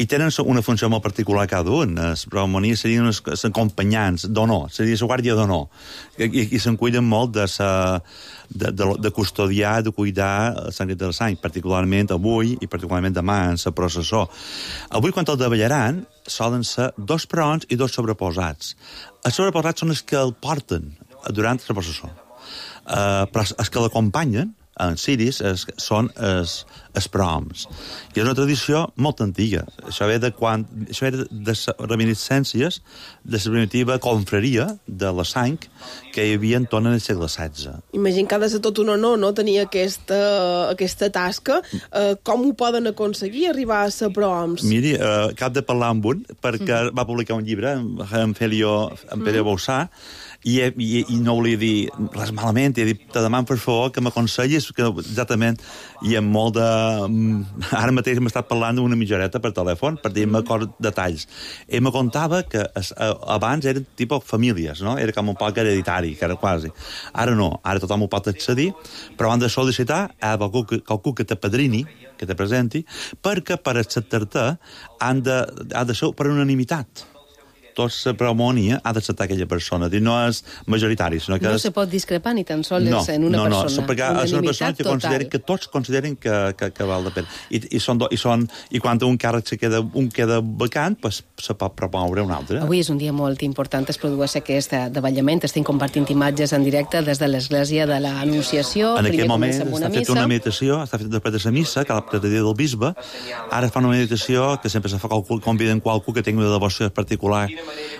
I tenen una funció molt particular cada un. Les prohomonies serien els acompanyants d'honor, seria la guàrdia d'honor, i se'n cuiden molt de custodiar, de cuidar el Sant Crist de la Sang, particularment avui i particularment demà en la processó. Avui, quan el davallaran, solen ser 2 prohoms i 2 sobreposats. Els sobreposats són els que el porten durant la processó. Però els que l'acompanyen en ciris són els prohoms. I és una tradició molt antiga. Això ve de les reminiscències de la primitiva confraria de la Sang que hi havia en torn al segle XVI. Imagino que ha de ser tot un honor, no?, tenir aquesta tasca. Com ho poden aconseguir, arribar a ser prohoms? Miri, cap de parlar amb un, perquè va publicar un llibre, en Pere Boussà, i no volia dir res malament, i he dit, te demano per favor que m'aconsellis, que exactament hi ha molt de... Ara mateix hem estat parlant d'una mitjoreta per telèfon per dir-me detalls. I me contava que abans eren tipus famílies, no? Era com un poc hereditari, que era quasi. Ara no, ara tothom ho pot accedir, però han de sol·licitar a qualcú que t'apadrini, que te presenti, perquè per acceptar-te ha de ser per unanimitat. Tota la prohomonia ha d'acceptar aquella persona. No és majoritari, sinó que no se pot discrepar ni tan sols en una persona. No, perquè és una persona que tots consideren que val la pena. I quan un càrrec queda vacant, se pot propoure un altre. Avui és un dia molt important, es produeix aquest davallament, estem compartint imatges en directe des de l'Església de l'Anunciació. En aquell moment està feta una meditació, està feta després de la missa, cada dia del bisbe. Ara fa una meditació que sempre se fa conviden qualcú que tingui una devoció particular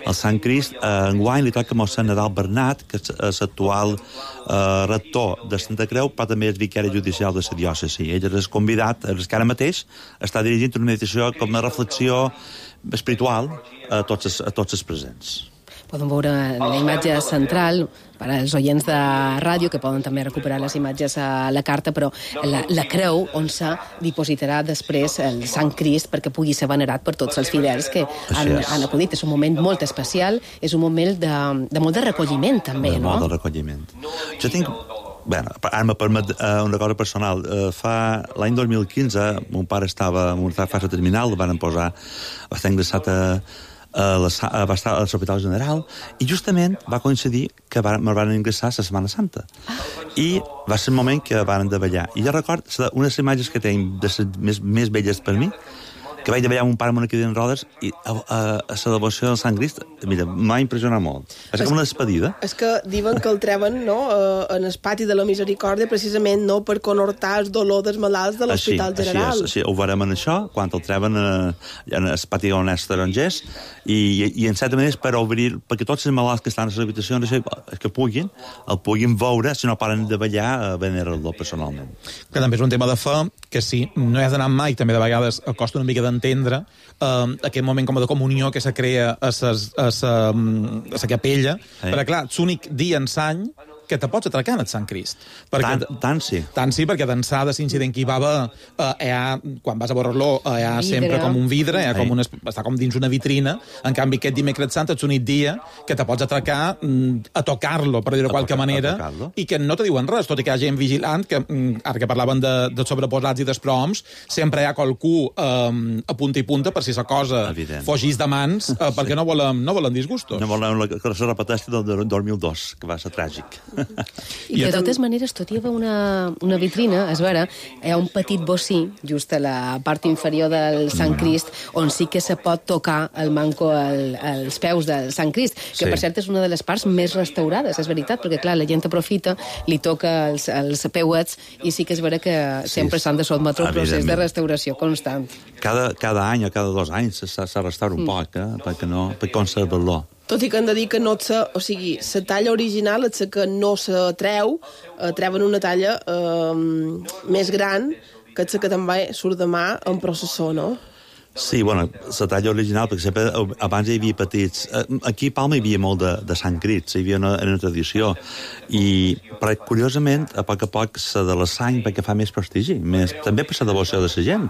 el Sant Crist. Enguany li toca a Sant Nadal Bernat, que és l'actual rector de Santa Creu, però també és vicari judicial de la diòcesi. Ell és convidat, que ara mateix està dirigint una meditació com una reflexió espiritual a tots els presents. Poden veure la imatge central per als oients de ràdio, que poden també recuperar les imatges a la carta, però la creu on se dipositarà després el Sant Crist perquè pugui ser venerat per tots els fidels que han acudit. És un moment molt especial, és un moment de molt de recolliment també, no? Molt de recolliment. Jo tinc... Bé, ara me permet una cosa personal. L'any 2015, mon pare estava en una fase terminal, el van posar bastant ingressat a va estar a l'Hospital General, i justament va coincidir que me van ingressar a la Setmana Santa. I va ser el moment que van de ballar. I jo recordo unes imatges que tenim de les més belles per mi, que vaig de ballar amb un pare amb una cadira en rodes i a la devoció del Sant Crist, mira, m'ha impressionat molt. És com una despedida. És que diuen que el treuen, no?, en el pati de la Misericòrdia, precisament, no?, per conhortar el dolor dels malalts de l'Hospital General. Així, ho veurem en això, quan el treuen en el pati on és tarongers, i en certa manera és per obrir, perquè tots els malalts que estan a les habitacions que puguin veure, si no paren de ballar, a venerar-lo personalment. Que també és un tema de fe, que sí, no hi has d'anar mai, també de vegades costa una mica d'entendre aquest moment com de comunió que se crea a la capella, perquè clar, és l'únic dia en l'any que te pots atracar en el Sant Crist. Tant sí. Tant sí, perquè d'ençà de l'incident que hi va haver, quan vas a veure-lo, hi ha sempre com un vidre, està com dins una vitrina, en canvi aquest dimecres sant és l'únic dia que te pots atracar a tocar-lo, per dir-ho de qualque manera, i que no te diuen res, tot i que hi ha gent vigilant, que ara que parlaven de sobreposats i desproms, sempre hi ha qualcú a punta i punta per si la cosa fugís de mans, perquè no volen disgustos. No volen que se repeteixi del 2002, que va ser tràgic. I de totes maneres, tot hi ha una vitrina, és vera, hi ha un petit bocí, just a la part inferior del Sant Crist, on sí que se pot tocar el manco als peus del Sant Crist, que per cert és una de les parts més restaurades, és veritat, perquè clar, la gent aprofita, li toca els peuets, i sí que és vera que sempre s'han de sotmetre un procés de restauració constant. Cada any o cada 2 anys s'ha restaurat un poc, per conservar-lo. Tot i que han de dir que no la talla original és la que no se treu, treuen una talla més gran, que és la que també surt de mà en processó, no? Sí, bueno, la talla original, perquè sempre abans hi havia petits... Aquí a Palma hi havia molt de Sant Crist, hi havia una tradició, però curiosament, a poc se de la sang perquè fa més prestigi, també per la devoció de la gent.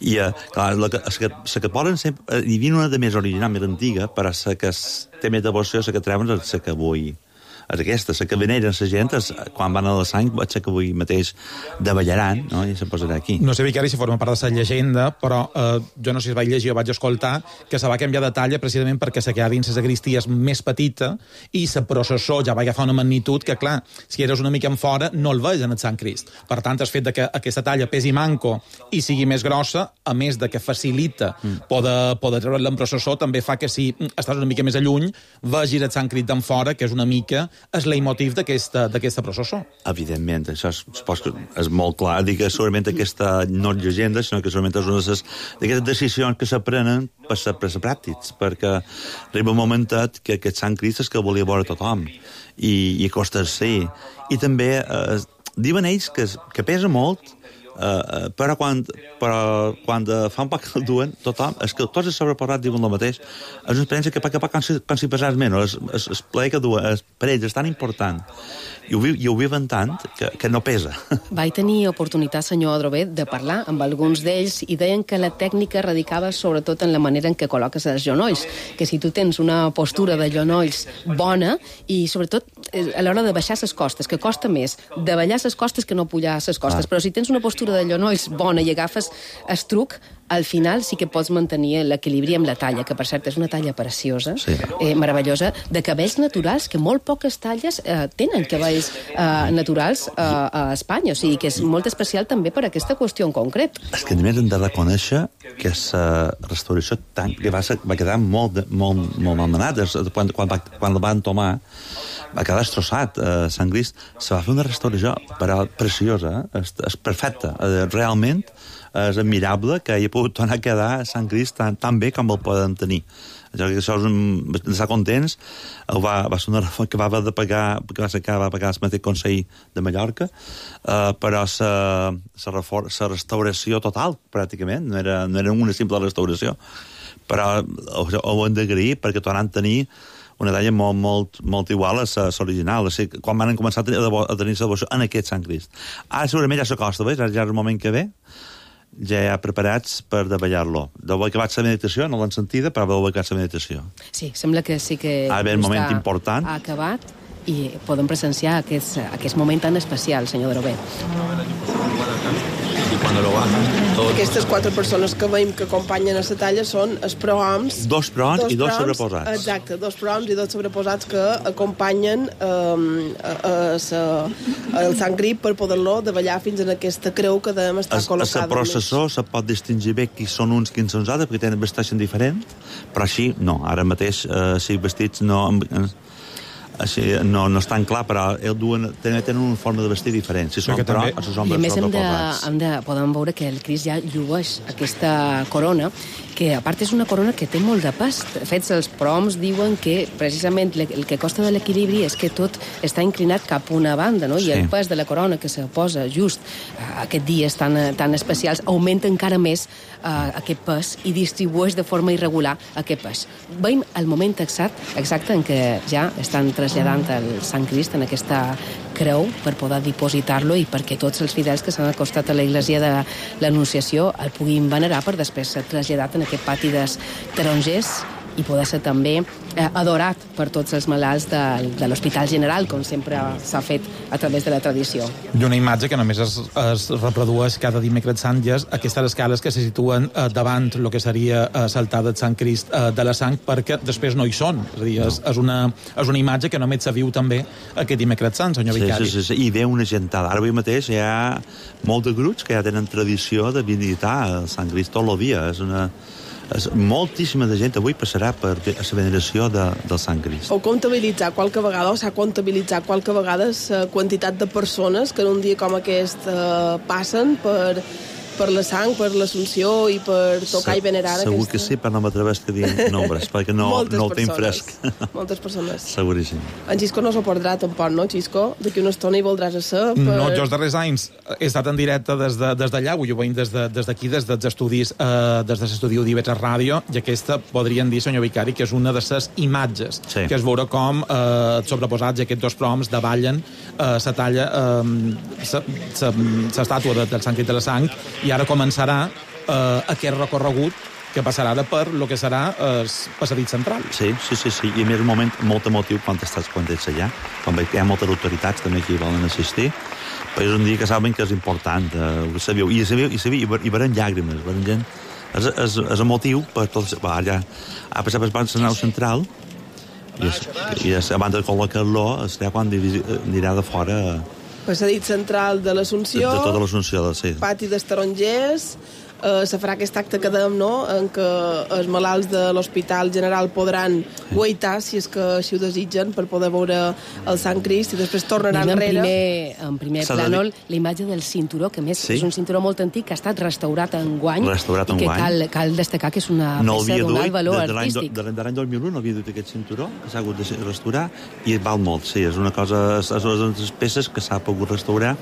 I, clar, la que poden sempre... Hi havia una de més original, més antiga, però la que té més devoció, la que treuen és la que avui... És aquesta, la que veneren la gent, quan van a la sang, vaig ser que avui mateix davallaran, no? I se posarà aquí. No sé, Vicari, si forma part de la llegenda, però jo no sé si vaig llegir o vaig escoltar que se va canviar de talla precisament perquè se quedava dins la sagristia més petita i la processó ja va agafar una magnitud que, clar, si eres una mica en fora, no el veus en el Sant Crist. Per tant, el fet que aquesta talla pesi manco i sigui més grossa, a més de que facilita poder treure'l en processó, també fa que si estàs una mica més a lluny, vegis el Sant Crist d'en fora, que és una mica és leitmotiv d'aquesta processó. Evidentment, això és molt clar. Dic que segurament aquesta no és llegenda, sinó que segurament és una d'aquestes decisions que s'aprenen per ser pràctics, perquè arriba un momentet que aquest Sant Crist és que volia veure tothom, i costa ser. I també diuen ells que pesa molt, però quan fa un poc que el duen, tothom, és que tots els sobreposats diuen el mateix. És una experiència que poc a poc quan s'hi pesàs menys, el plaer que duen, per ells és tan important, i ho viuen tant, que no pesa. Vaig tenir oportunitat, senyor Adrover, de parlar amb alguns d'ells i deien que la tècnica radicava sobretot en la manera en què col·loques els genolls, que si tu tens una postura de genolls bona, i sobretot a l'hora de baixar les costes, que costa més davallar les costes que no pujar les costes, però si tens una postura de genolls bona i agafes el truc, al final sí que pots mantenir l'equilibri amb la talla, que per cert és una talla preciosa, meravellosa, de cabells naturals, que molt poques talles tenen cabells naturals a Espanya, o sigui que és molt especial també per aquesta qüestió en concret. És que només hem de reconèixer que la restauració que va quedar molt malmenada. Quan la van tomar va quedar destrossat. Sant Crist se va fer una restauració preciosa, és perfecta, realment és admirable que hi ha pogut tornar a quedar Sant Crist tan bé com el poden tenir. Això d'estar contents, va ser una reforma que va haver de pagar, perquè va pagar el mateix Consell de Mallorca, però la restauració total, pràcticament, no era una simple restauració, però ho hem d'agrair perquè tornaran a tenir una talla molt igual a l'original, quan van començar a tenir la devoció en aquest Sant Crist. Ara segurament ja s'acosta, ja és el moment que ve, ja hi ha preparats per davallar-lo. Deu haver acabat la meditació, no l'han sentida, però deu haver acabat la meditació. Sí, sembla que sí que ha acabat i podem presenciar aquest moment tan especial, senyor Drover. y cuando lo bajan, todo... Aquestes 4 persones que veiem que acompanyen a la talla són els prohoms. 2 prohoms i 2 sobreposats. Exacte, 2 prohoms i 2 sobreposats que acompanyen el Sant Crist per poder-lo davallar fins en aquesta creu que devem estar col·locada. A la processó se pot distingir bé qui són uns, quins són els altres, perquè tenen vestits diferents, però així, no, ara mateix, si vestits no... Així, no és tan clar, però tenen una forma de vestir diferent. Si són, però, a sus homes I a més podem veure que el Crist ja llueix aquesta corona, que a part és una corona que té molt de pes. Fets els proms diuen que precisament el que costa de l'equilibri és que tot està inclinat cap a una banda, no? I el pes de la corona que se posa just aquests dies tan especials augmenta encara més aquest pes i distribueix de forma irregular aquest pes. Veiem el moment exacte en què ja estan traslladant el Sant Crist en aquesta creu per poder dipositar-lo i perquè tots els fidels que s'han acostat a la església de l'Anunciació el puguin venerar per després ser traslladat en aquest pati dels tarongers i poder ser també adorat per tots els malalts de l'Hospital General, com sempre s'ha fet a través de la tradició. I una imatge que només es reprodueix cada dimecres sant i és aquestes escales que se situen davant el que seria l'altar del Sant Crist de la Sang, perquè després no hi són. És a dir, és una imatge que només se viu també aquest dimecres sant, senyor vicari. Sí, i ve una gentada. Ara avui mateix hi ha molt de grups que ja tenen tradició de visitar el Sant Crist tot el dia. Moltíssima de gent avui passarà per la veneració del Sant Crist. S'ha comptabilitzat qualque vegada la quantitat de persones que en un dia com aquest passen per la sang, per l'Assumpció i per tocar i venerar segur que sí, però no m'atreveix a dir nombres, perquè no el tinc fresc. Moltes persones. Seguríssim. En Xisco no s'ho perdrà tampoc, no, Xisco? D'aquí una estona hi voldràs ser. No, jo els darrers anys he estat en directe des d'allà, ho veiem des d'aquí, des dels estudis, des de l'estudi d'IV3 Ràdio, i aquesta podríem dir, senyor vicari, que és una de les imatges, que es veure com sobreposats aquests 2 proms davallen la talla, l'estàtua del Sant Crist de la Sang, i ara començarà aquest recorregut que passarà ara per lo que serà el passadís central. Sí, i a més un moment molt emotiu quan ets allà, quan hi ha moltes autoritats també que hi volen assistir, però és un dia que saben que és important, ho sabeu, i veuran llàgrimes, veuran gent, és emotiu per tots, ja ha passat per la nau central, i abans de col·locar-lo, serà quan anirà de fora... Passadís central de l'Assumpció, de tota l'Assumpció, sí. Pati dels Tarongers, se farà aquest acte que dèiem, no?, en què els malalts de l'Hospital General podran guaitar, si és que així ho desitgen, per poder veure el Sant Crist, i després tornaran enrere. En primer plànol, la imatge del cinturó, que més és un cinturó molt antic, que ha estat restaurat enguany, i que cal destacar que és una peça d'un alt valor artístic. De l'any 2001 no havia dut aquest cinturó, que s'ha hagut de restaurar, i val molt, sí, és una cosa, és una de les peces que s'ha pogut restaurar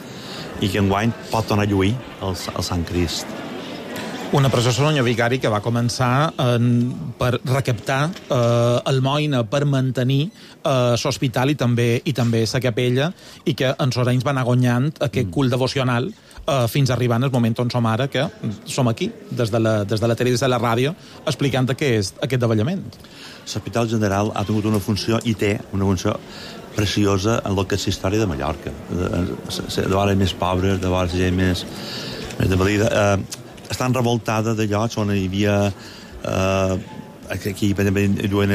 i que enguany pot tornar a lluir el Sant Crist. Una processó, senyor vicari, que va començar per recaptar almoina per mantenir l'hospital i també la capella, i que en els anys va anar guanyant aquest cult devocional fins a arribar en el moment on som ara, que som aquí, des de la tele i des de la ràdio, explicant què és aquest davallament. L'Hospital General ha tingut una funció, i té una funció preciosa en el que és la història de Mallorca. De vegades més pobres, de vegades gent més de valida. Estan revoltada de llocs on hi havia aquí lluent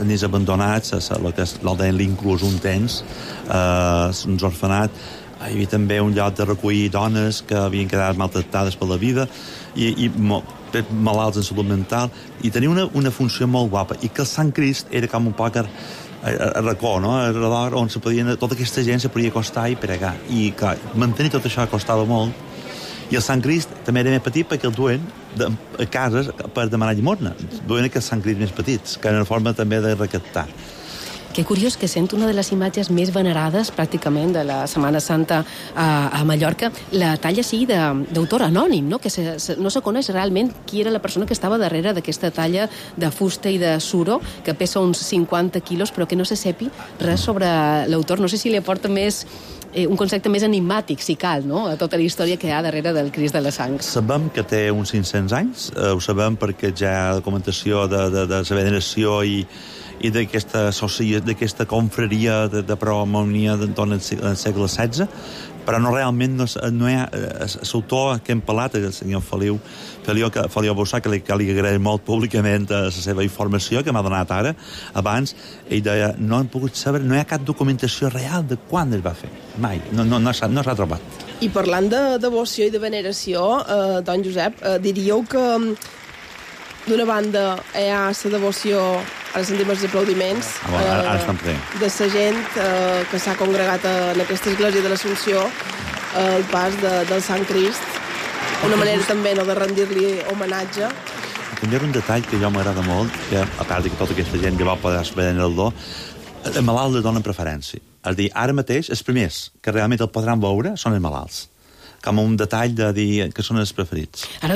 nens abandonats, l'Alden l'inclús un temps, uns orfenats. Hi havia també un lloc de recollir dones que havien quedat maltractades per la vida i malalts en salut mental, i tenia una funció molt guapa, i que el Sant Crist era com un poc a racó, no? On tota aquesta gent se podia acostar i pregar, i clar, mantenir tot això costava molt. I el Sant Crist també era més petit perquè el duen a cases per demanar llimosna. Duen aquests Sant Crist més petits, que era una forma també de recaptar. Que curiós que sent una de les imatges més venerades pràcticament de la Setmana Santa a Mallorca, la talla sigui d'autor anònim, no? Que no se coneix realment qui era la persona que estava darrere d'aquesta talla de fusta i de suro, que pesa uns 50 quilos, però que no se sepi res sobre l'autor. No sé si li aporta més un concepte més enigmàtic, si cal, no?, a tota la història que hi ha darrere del Crist de la Sang. Sabem que té uns 500 anys, ho sabem perquè ja hi ha documentació de la veneració i d'aquesta confraria de prohomonia d'entorn al segle XVI, però no realment no hi ha l'autor que hem parlat, el senyor Feliu Bossà, que li agraeix molt públicament la seva informació que m'ha donat ara, abans, ell deia, no hem pogut saber, no hi ha cap documentació real de quan es va fer, mai, no s'ha trobat. I parlant de devoció i de veneració, don Josep, diríeu que d'una banda hi ha la devoció, ara sentim els aplaudiments, de la gent que s'ha congregat en aquesta església de l'Assumpció al pas del Sant Crist, una manera també de rendir-li homenatge. També hi ha un detall que jo m'agrada molt, que a part que tota aquesta gent que va poder saber en el do, el malalt li donen preferència. És a dir, ara mateix, els primers que realment el podran veure són els malalts. Com un detall de dir que són els preferits. Ara,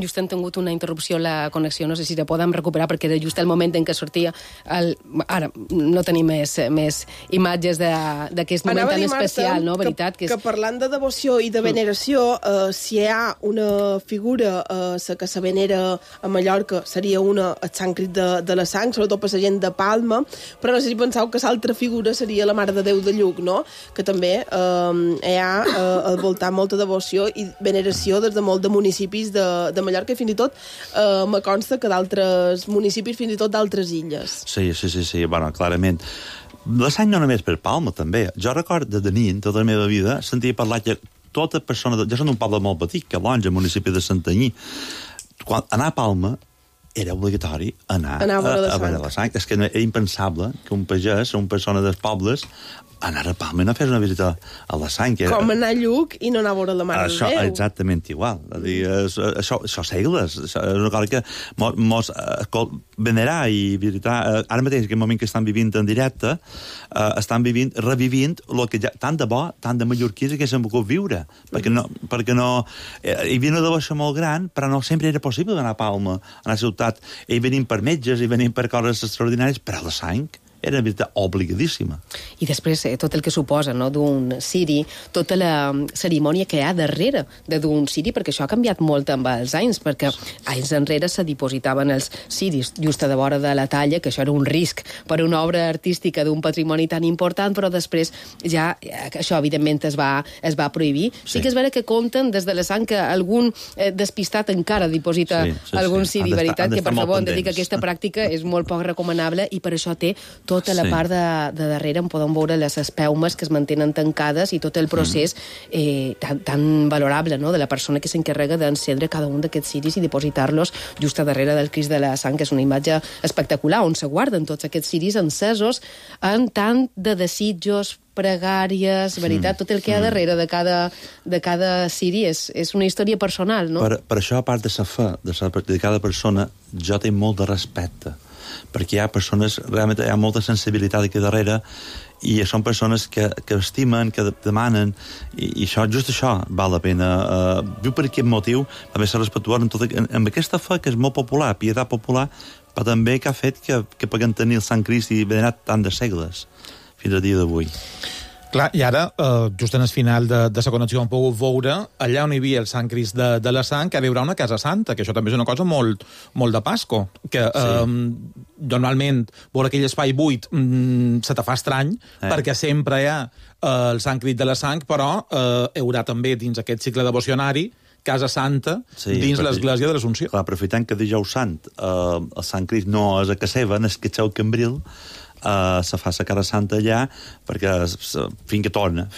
just hem tingut una interrupció a la connexió, no sé si la podem recuperar, perquè era just el moment en què sortia Ara no tenim més imatges d'aquest moment tan especial, no? Veritat? Que parlant de devoció i de veneració, si hi ha una figura que se venera a Mallorca, seria el Sant Crist de la Sang, sobretot per la gent de Palma, però no sé si penseu que l'altra figura seria la Mare de Déu de Lluc, no? Que també hi ha al voltant molta devoció i veneració des de molt de municipis de Mallorca i fins i tot me consta que d'altres municipis, fins i tot d'altres illes. Sí, bueno, clarament. La Sang no només per Palma, també. Jo recordo de nit, tota la meva vida, sentia parlar que tota persona... Jo soc d'un poble molt petit, que Longe, al municipi de Santanyí. Quan anar a Palma era obligatori anar a veure la Sang. És que era impensable que un pagès, una persona dels pobles, anar a Palma i no fes una visita a la Sang. Com anar a Lluc i no anar a veure la Mare de Déu. Això exactament igual. Això segles. És una cosa que mos venerar i visitar... Ara mateix, en aquest moment que estan vivint en directe, estan revivint el que ja, tant de bo, tant de mallorquins que s'han volgut viure. Perquè no... Hi havia una devoció molt gran, però no sempre era possible anar a Palma, a la ciutat. I venim per metges, i venim per coses extraordinàries, però la Sang era una visita obligadíssima. I després tot el que suposa, no?, d'un ciri, tota la cerimònia que hi ha darrere d'un ciri, perquè això ha canviat molt amb els anys, perquè anys enrere se dipositaven els ciris just a de vora de la talla, que això era un risc per una obra artística d'un patrimoni tan important, però després ja això evidentment es va prohibir. Sí que és vera que compten des de la Sang que algun despistat encara diposita algun ciri, veritat, que per favor hem de dir que aquesta pràctica és molt poc recomanable i per això té tota la part de darrere en podem veure les espeumes que es mantenen tancades i tot el procés tan valorable, no?, de la persona que s'encarrega d'encendre cada un d'aquests ciris i dipositar-los just a darrere del Crist de la Sang, que és una imatge espectacular, on se guarden tots aquests ciris encesos en tant de desitjos, pregàries, veritat, tot el que hi ha darrere de cada ciri és una història personal, no? Per això, a part de la fe de cada persona, jo tinc molt de respecte, perquè hi ha persones, realment hi ha molta sensibilitat aquí darrere, i són persones que estimen, que demanen, i just això val la pena. Viu per aquest motiu, també ser respectuós amb aquesta fe que és molt popular, pietat popular, però també que ha fet que puguem tenir el Sant Crist i venerat tant de segles, fins al dia d'avui. Clar, i ara, just en el final de la connexió hem pogut veure allà on hi havia el Sant Crist de la Sang, que hi haurà una casa santa, que això també és una cosa molt de Pasco, que normalment veure aquell espai buit se te fa estrany, perquè sempre hi ha el Sant Crist de la Sang, però hi haurà també dins aquest cicle devocionari Casa Santa dins l'església de l'Assumpció. Clar, aprofitant que dijous sant el Sant Crist no és a Caseva, és que Xeu Cambril, se fa la Cara Santa allà perquè fins que torna,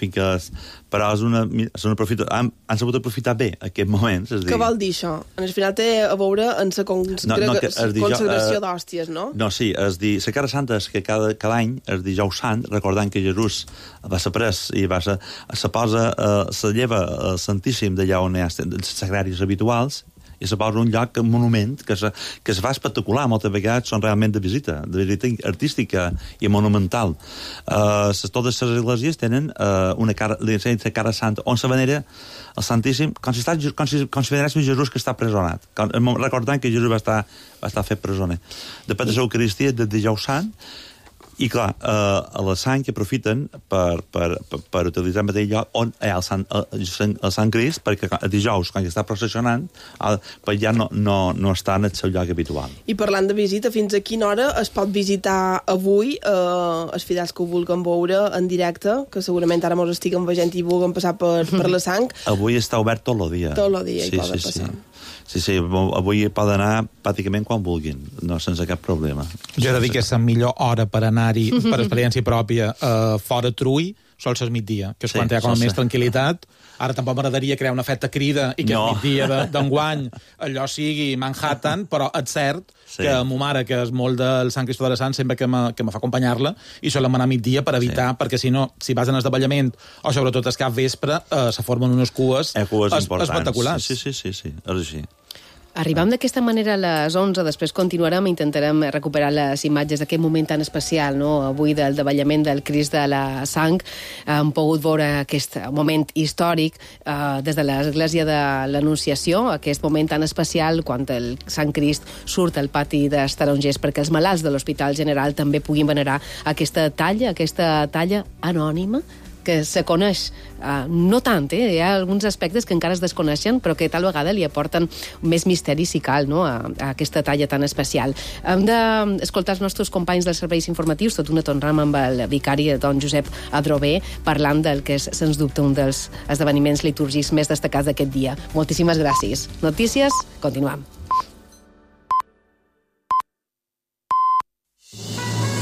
però han sabut aprofitar bé aquest moment. Què vol dir això? En el final té a veure en la consagració d'hòsties, no? No, sí, la Cara Santa és que cada any, el dijous sant, recordant que Jesús va ser pres i se lleva el Santíssim d'allà on hi ha els sagraris habituals i se posa un lloc, un monument, que es fa espectacular, moltes vegades són realment de visita artística i monumental. Totes les esglésies tenen una cara santa, on se venera el Santíssim, com si veneréssim Jesús que està presonat, recordant que Jesús va estar fet presoner. Després de l'Eucaristia, de dijous sant, I, clar, a la sang que aprofiten per utilitzar el mateix lloc on hi ha el Sant Crist, perquè dijous, quan està processionant, ja no està en el seu lloc habitual. I parlant de visita, fins a quina hora es pot visitar avui els fidels que ho vulguin veure en directe, que segurament ara mos estiguen veient i vulguin passar per la sang? Avui està obert tot el dia. Tot el dia hi poden passar. Sí, avui pot anar pràcticament quan vulguin, no sense cap problema. Jo he de dir que és la millor hora per anar-hi, per experiència pròpia, fora Trull, sol ser migdia, que és quan hi ha com més tranquil·litat. Ara tampoc m'agradaria crear un efecte crida i que el migdia d'enguany allò sigui Manhattan, però és cert que ma mare, que és molt del Sant Cristó de la Sant, sempre que me fa acompanyar-la, i solem anar a migdia per evitar, perquè si no, si vas en esdevallament, o sobretot es cap vespre, se formen unes cues espectaculars. Sí, és així. Arribam d'aquesta manera a les 11, després continuarem i intentarem recuperar les imatges d'aquest moment tan especial, no? Avui del davallament del Crist de la Sang. Hem pogut veure aquest moment històric des de l'Església de l'Anunciació, aquest moment tan especial quan el Sant Crist surt al pati dels tarongers perquè els malalts de l'Hospital General també puguin venerar aquesta talla anònima que se coneix, no tant, hi ha alguns aspectes que encara es desconeixen, però que tal vegada li aporten més misteri si cal, no?, a aquesta talla tan especial. Hem d'escoltar els nostres companys dels serveis informatius, tot una tornam amb el vicari, don Josep Adrover, parlant del que és, sens dubte, un dels esdeveniments litúrgics més destacats d'aquest dia. Moltíssimes gràcies. Notícies, continuam.